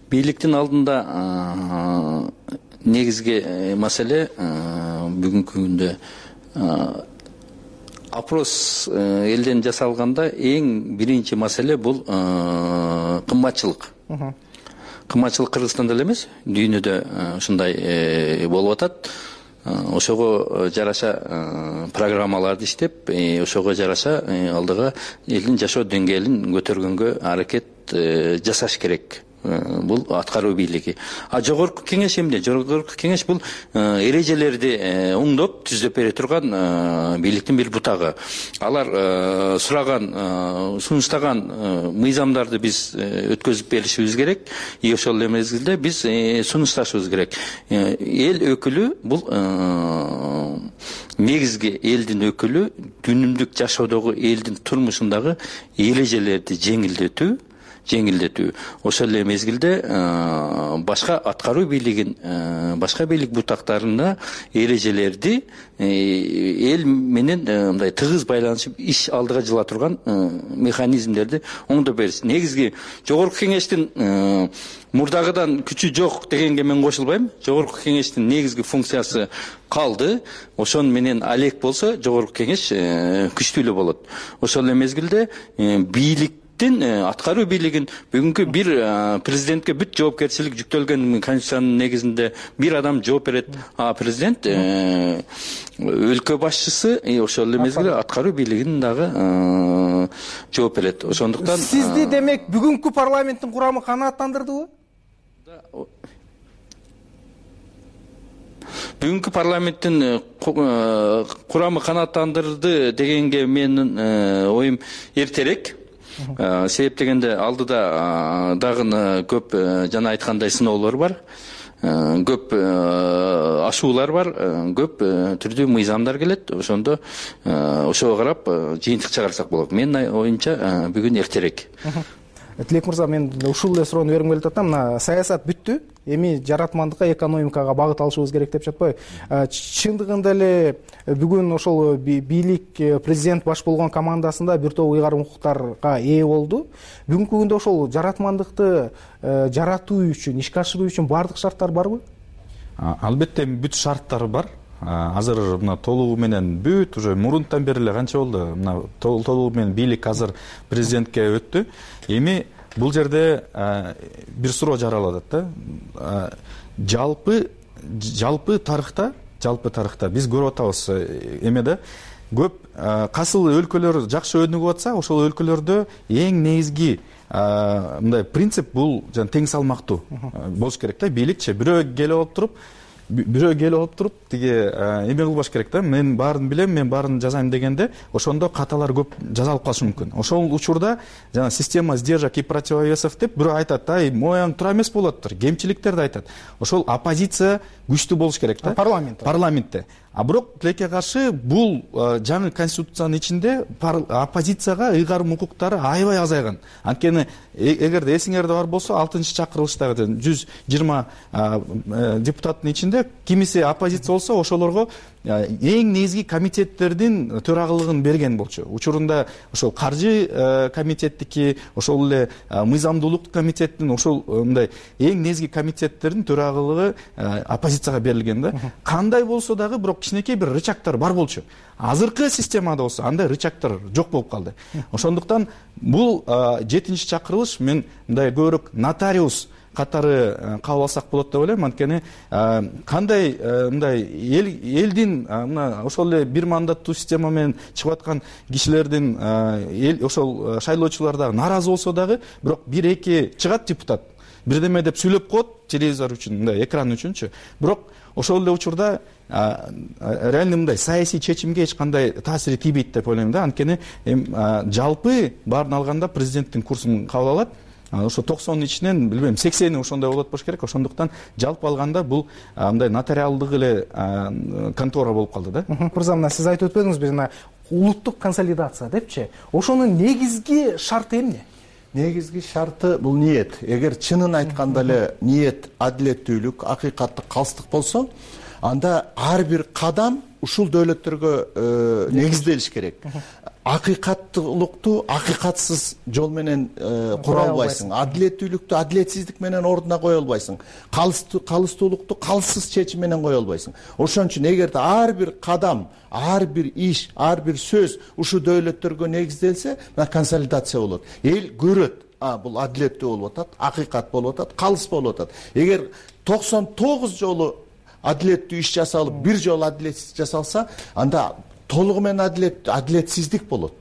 Бийликтин алдында негизги маселе бүгүнкү күндө опрос элден жасалганда эң биринчи маселе бул кымбатчылык. Кымбатчылык Кыргызстанда эле эмес, дүйнөдө ушундай болуп атат. Ошого жараша программаларды иштеп, ошого жараша алдыга элдин жашоо деңгээлин көтөргөнгө аракет жасаш керек. Бул аткаруу бийлиги. Жогорку кеңеш эмне? Жогорку кеңеш бул эрежелерди оңдоп түзүп бере турган бийликтин бир бутагы. Алар сураган, сунуштаган мыйзамдарды биз өткөзүп беришибиз керек. Ошол эле мезгилде биз сунушташыбыз керек. Эл өкүлү бул негизги элдин өкүлү күнүмдүк жашоодогу элдин турмушундагы эрежелерди жеңилдетүү. Ошол эле мезгилде башка аткаруу бийлигин, башка бийлик бутактарына эрежелерди эл менен мындай тыгыз байланышып иш алдыга жыла турган механизмдерди оңдоп бериш. Негизги жогорку кеңештин мурдагыдан күчү жок дегенге мен кошулбайм. Жогорку кеңештин негизги функциясы калды. Ошон менен алек болсо жогорку кеңеш күчтүү эле болот. Ошол эле мезгилде бийлик аткаруу бийлигин бүгүнкү бир президентке бүт жоопкерчилик жүктөлгөн конституциянын негизинде бир адам жооп берет. Президент өлкө башчысы ошол эле мезгилде аткаруу бийлигин дагы жооп берет. Ошондуктан сизди демек бүгүнкү парламенттин курамы канааттандырдыбы? Бүгүнкү парламенттин курамы канааттандырды дегенге менин оюм эртерээк. Себеп дегенде алдыда дагы көп жана айткандай сыноолор бар, көп ашуулар бар, көп түрдүү мыйзамдар келет. Ошондо ошого карап жыйынтык чыгарсак болот. Менин оюмча бүгүн эртерээк. Тилек мырза, мен ушул эле суроону бергим келип атам. Мына саясат бүттү, эми жаратмандыкка, экономикага багыт алышыбыз керек деп жатпайбы? Чындыгында эле бүгүн ошол бийлик, президент баш болгон командасында бир топ ыйгарым укуктарга ээ болду. Бүгүнкү күндө ошол жаратмандыкты жаратуу үчүн, ишке ашыруу үчүн баардык шарттар барбы? Албетте бүт шарттар бар. Азыр мына толугу менен бүт уже мурунтан бери эле канча болду, мына толугу менен бийлик азыр президентке өттү. Эми бул жерде бир суроо жаралат да. Жалпы тарыхта биз көрүп атабыз эмеде көп касыл өлкөлөр жакшы өнүгүп атса, ошол өлкөлөрдө эң негизги мындай принцип бул жана тең салмактуу болуш керек да. Бийликчи бирөө келип алып туруп тиги эме кылбаш керек да. Мен баарын билем, мен баарын жазайм дегенде ошондо каталар көп жазалып калышы мүмкүн. Ошол учурда жана система сдержек и противовесов деп бирөө айтат, мояң туура эмес болуп атыптыр, кемчиликтерди айтат. Ошол оппозиция күчтүү болуш керек да. Парламентте. А бирок тилекке каршы бул жаңы конституциянын ичинде оппозицияга ыйгарым укуктары аябай азайган. Анткени эгерде эсиңерде бар болсо 6-чакырылыштагы 120 депутаттын ичинде кимиси оппозиция болсо ошолорго эң негизги комитеттердин төрагылыгын берген болчу. Учурунда ошол каржы комитеттики, ошол эле мыйзамдуулук комитеттин ошол мындай эң негизги комитеттердин төрагылыгы оппозицияга берилген да. Кандай болсо дагы бирок кичинекей бир рычагдар бар болчу. Азыркы системада болсо андай рычагдар жок болуп калды. Ошондуктан бул 7-чи чакырылыш мен мындай көбүрөөк нотариус катары кабыл алсак болот деп ойлойм. Анткени кандай мындай элдин мына ошол эле бир мандаттуу система менен чыгып аткан кишилердин ошол шайлоочулар дагы нааразы болсо дагы, бирок 1-2 чыгат депутат бирдеме деп сүйлөп коет телевизор үчүн, мындай экран үчүнчү. Бирок ошол эле учурда реально мындай саясий чечимге эч кандай таасири тийбейт деп ойлойм да. Анткени жалпы баарын алганда президенттин курсун кабыл алат. Ошо 90 ичинен билбейм 80 ошондой болот болуш керек. Ошондуктан жалпы алганда бул мындай нотариалдык эле контора болуп калды да. Мырза, мына сиз айтып өтпөдүңүзбү, жана улуттук консолидация депчи. Ошонун негизги шарты эмне? Негизги шарты бул ниет. Эгер чынын айтканда эле ниет адилеттүүлүк, акыйкаттык, калыстык болсо, анда ар бир кадам ушул дөөлөттөргө негизделиш керек. Акыйкаттуулукту акыйкатсыз жол менен кура албайсың. Адилеттүүлүктү адилетсиздик менен ордуна кое албайсың. Калыстуулукту калыссыз чечим менен кое албайсың. Ошон үчүн эгерде ар бир кадам, ар бир иш, ар бир сөз ушу дөөлөттөргө негизделсе, консолидация болот. Эл көрөт, бул адилеттүү болуп атат, акыйкат болуп атат, калыс болуп атат. Эгер 99 жолу адилеттүү иш жасалып, бир жолу адилетсиз жасалса, анда толугу менен адилетсиздик болот.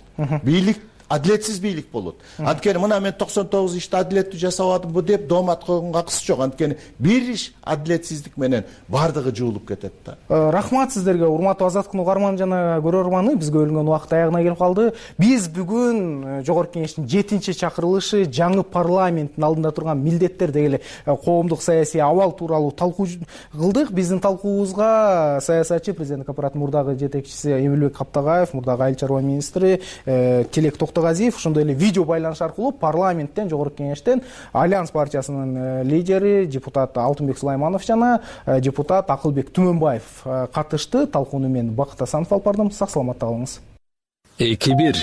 Бийлик адилетсиз бийлик болот. Анткени мына мен 99 ишти адилеттүү жасабадымбы деп доомат койгонго акысы жок. Анткени бир иш адилетсиздик менен бардыгы жуулуп кетет да. Рахмат сиздерге, урматтуу Азаттыктын угарманы жана көрөрманы. Бизге бөлүнгөн убакыт аягына келип калды. Биз бүгүн Жогорку Кеңештин 7-чи чакырылышы жаңы парламенттин алдында турган милдеттер деген эле коомдук саясий абал тууралуу талкуу кылдык. Биздин талкуубузга саясатчы, президенттик аппараттын мурдагы жетекчиси Эмилбек Каптагаев, мурдагы айыл чарба министри Тилек Токтогазиев, ошондой эле видео байланыш аркылуу парламенттен, Жогорку Кеңештен Альянс партиясынын лидери депутат Алтынбек Сулайманов жана депутат Акылбек Түмөнбаев катышты. Талкууну мен Бакыт Асанов алып бардым. Сак саламатта калыңыз. 2-1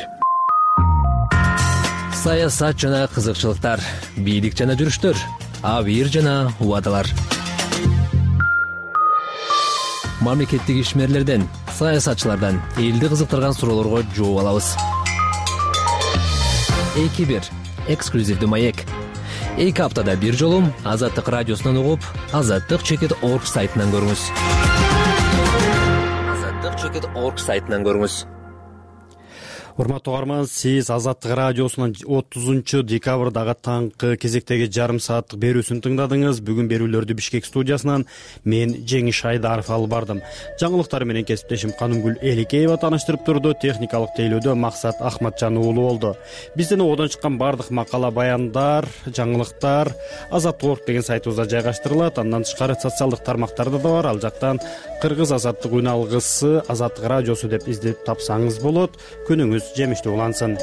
саясат жана кызыкчылыктар, бийлик жана жүрүштөр, абийир жана убадалар. Мамлекеттик ишмерлерден, саясатчылардан элди кызыктырган суроолорго жооп алабыз. 2-1 эксклюзивдүү маек. 2 аптада бир жолу Азаттык радиосунан угуп, azattik.org сайтынан көрүңүз. azattik.org сайтынан көрүңүз. Урматтуу угарман, сиз Азаттык радиосунун 30 декабрдагы таңкы кезектеги жарым сааттык берүүсүн тыңдадыңыз. Бүгүн берүүлөрдү Бишкек студиясынан мен Жеңиш Айдаров алып бардым. Жаңылыктар менен кесиптешим Канымгүл Эликеева тааныштырып турду. Техникалык тейлөөдө Максат Ахматжан уулу болду. Бизден одон чыккан бардык макала, баяндар, жаңылыктар Азаттык.org деген сайтыбызда жайгаштырылат. Андан тышкары социалдык тармактарда да бар. Ал жактан Кыргыз Азаттык үн алгысы, Азаттык радиосу деп издеп тапсаңыз болот. Күнүңүз жемиштүү улансын.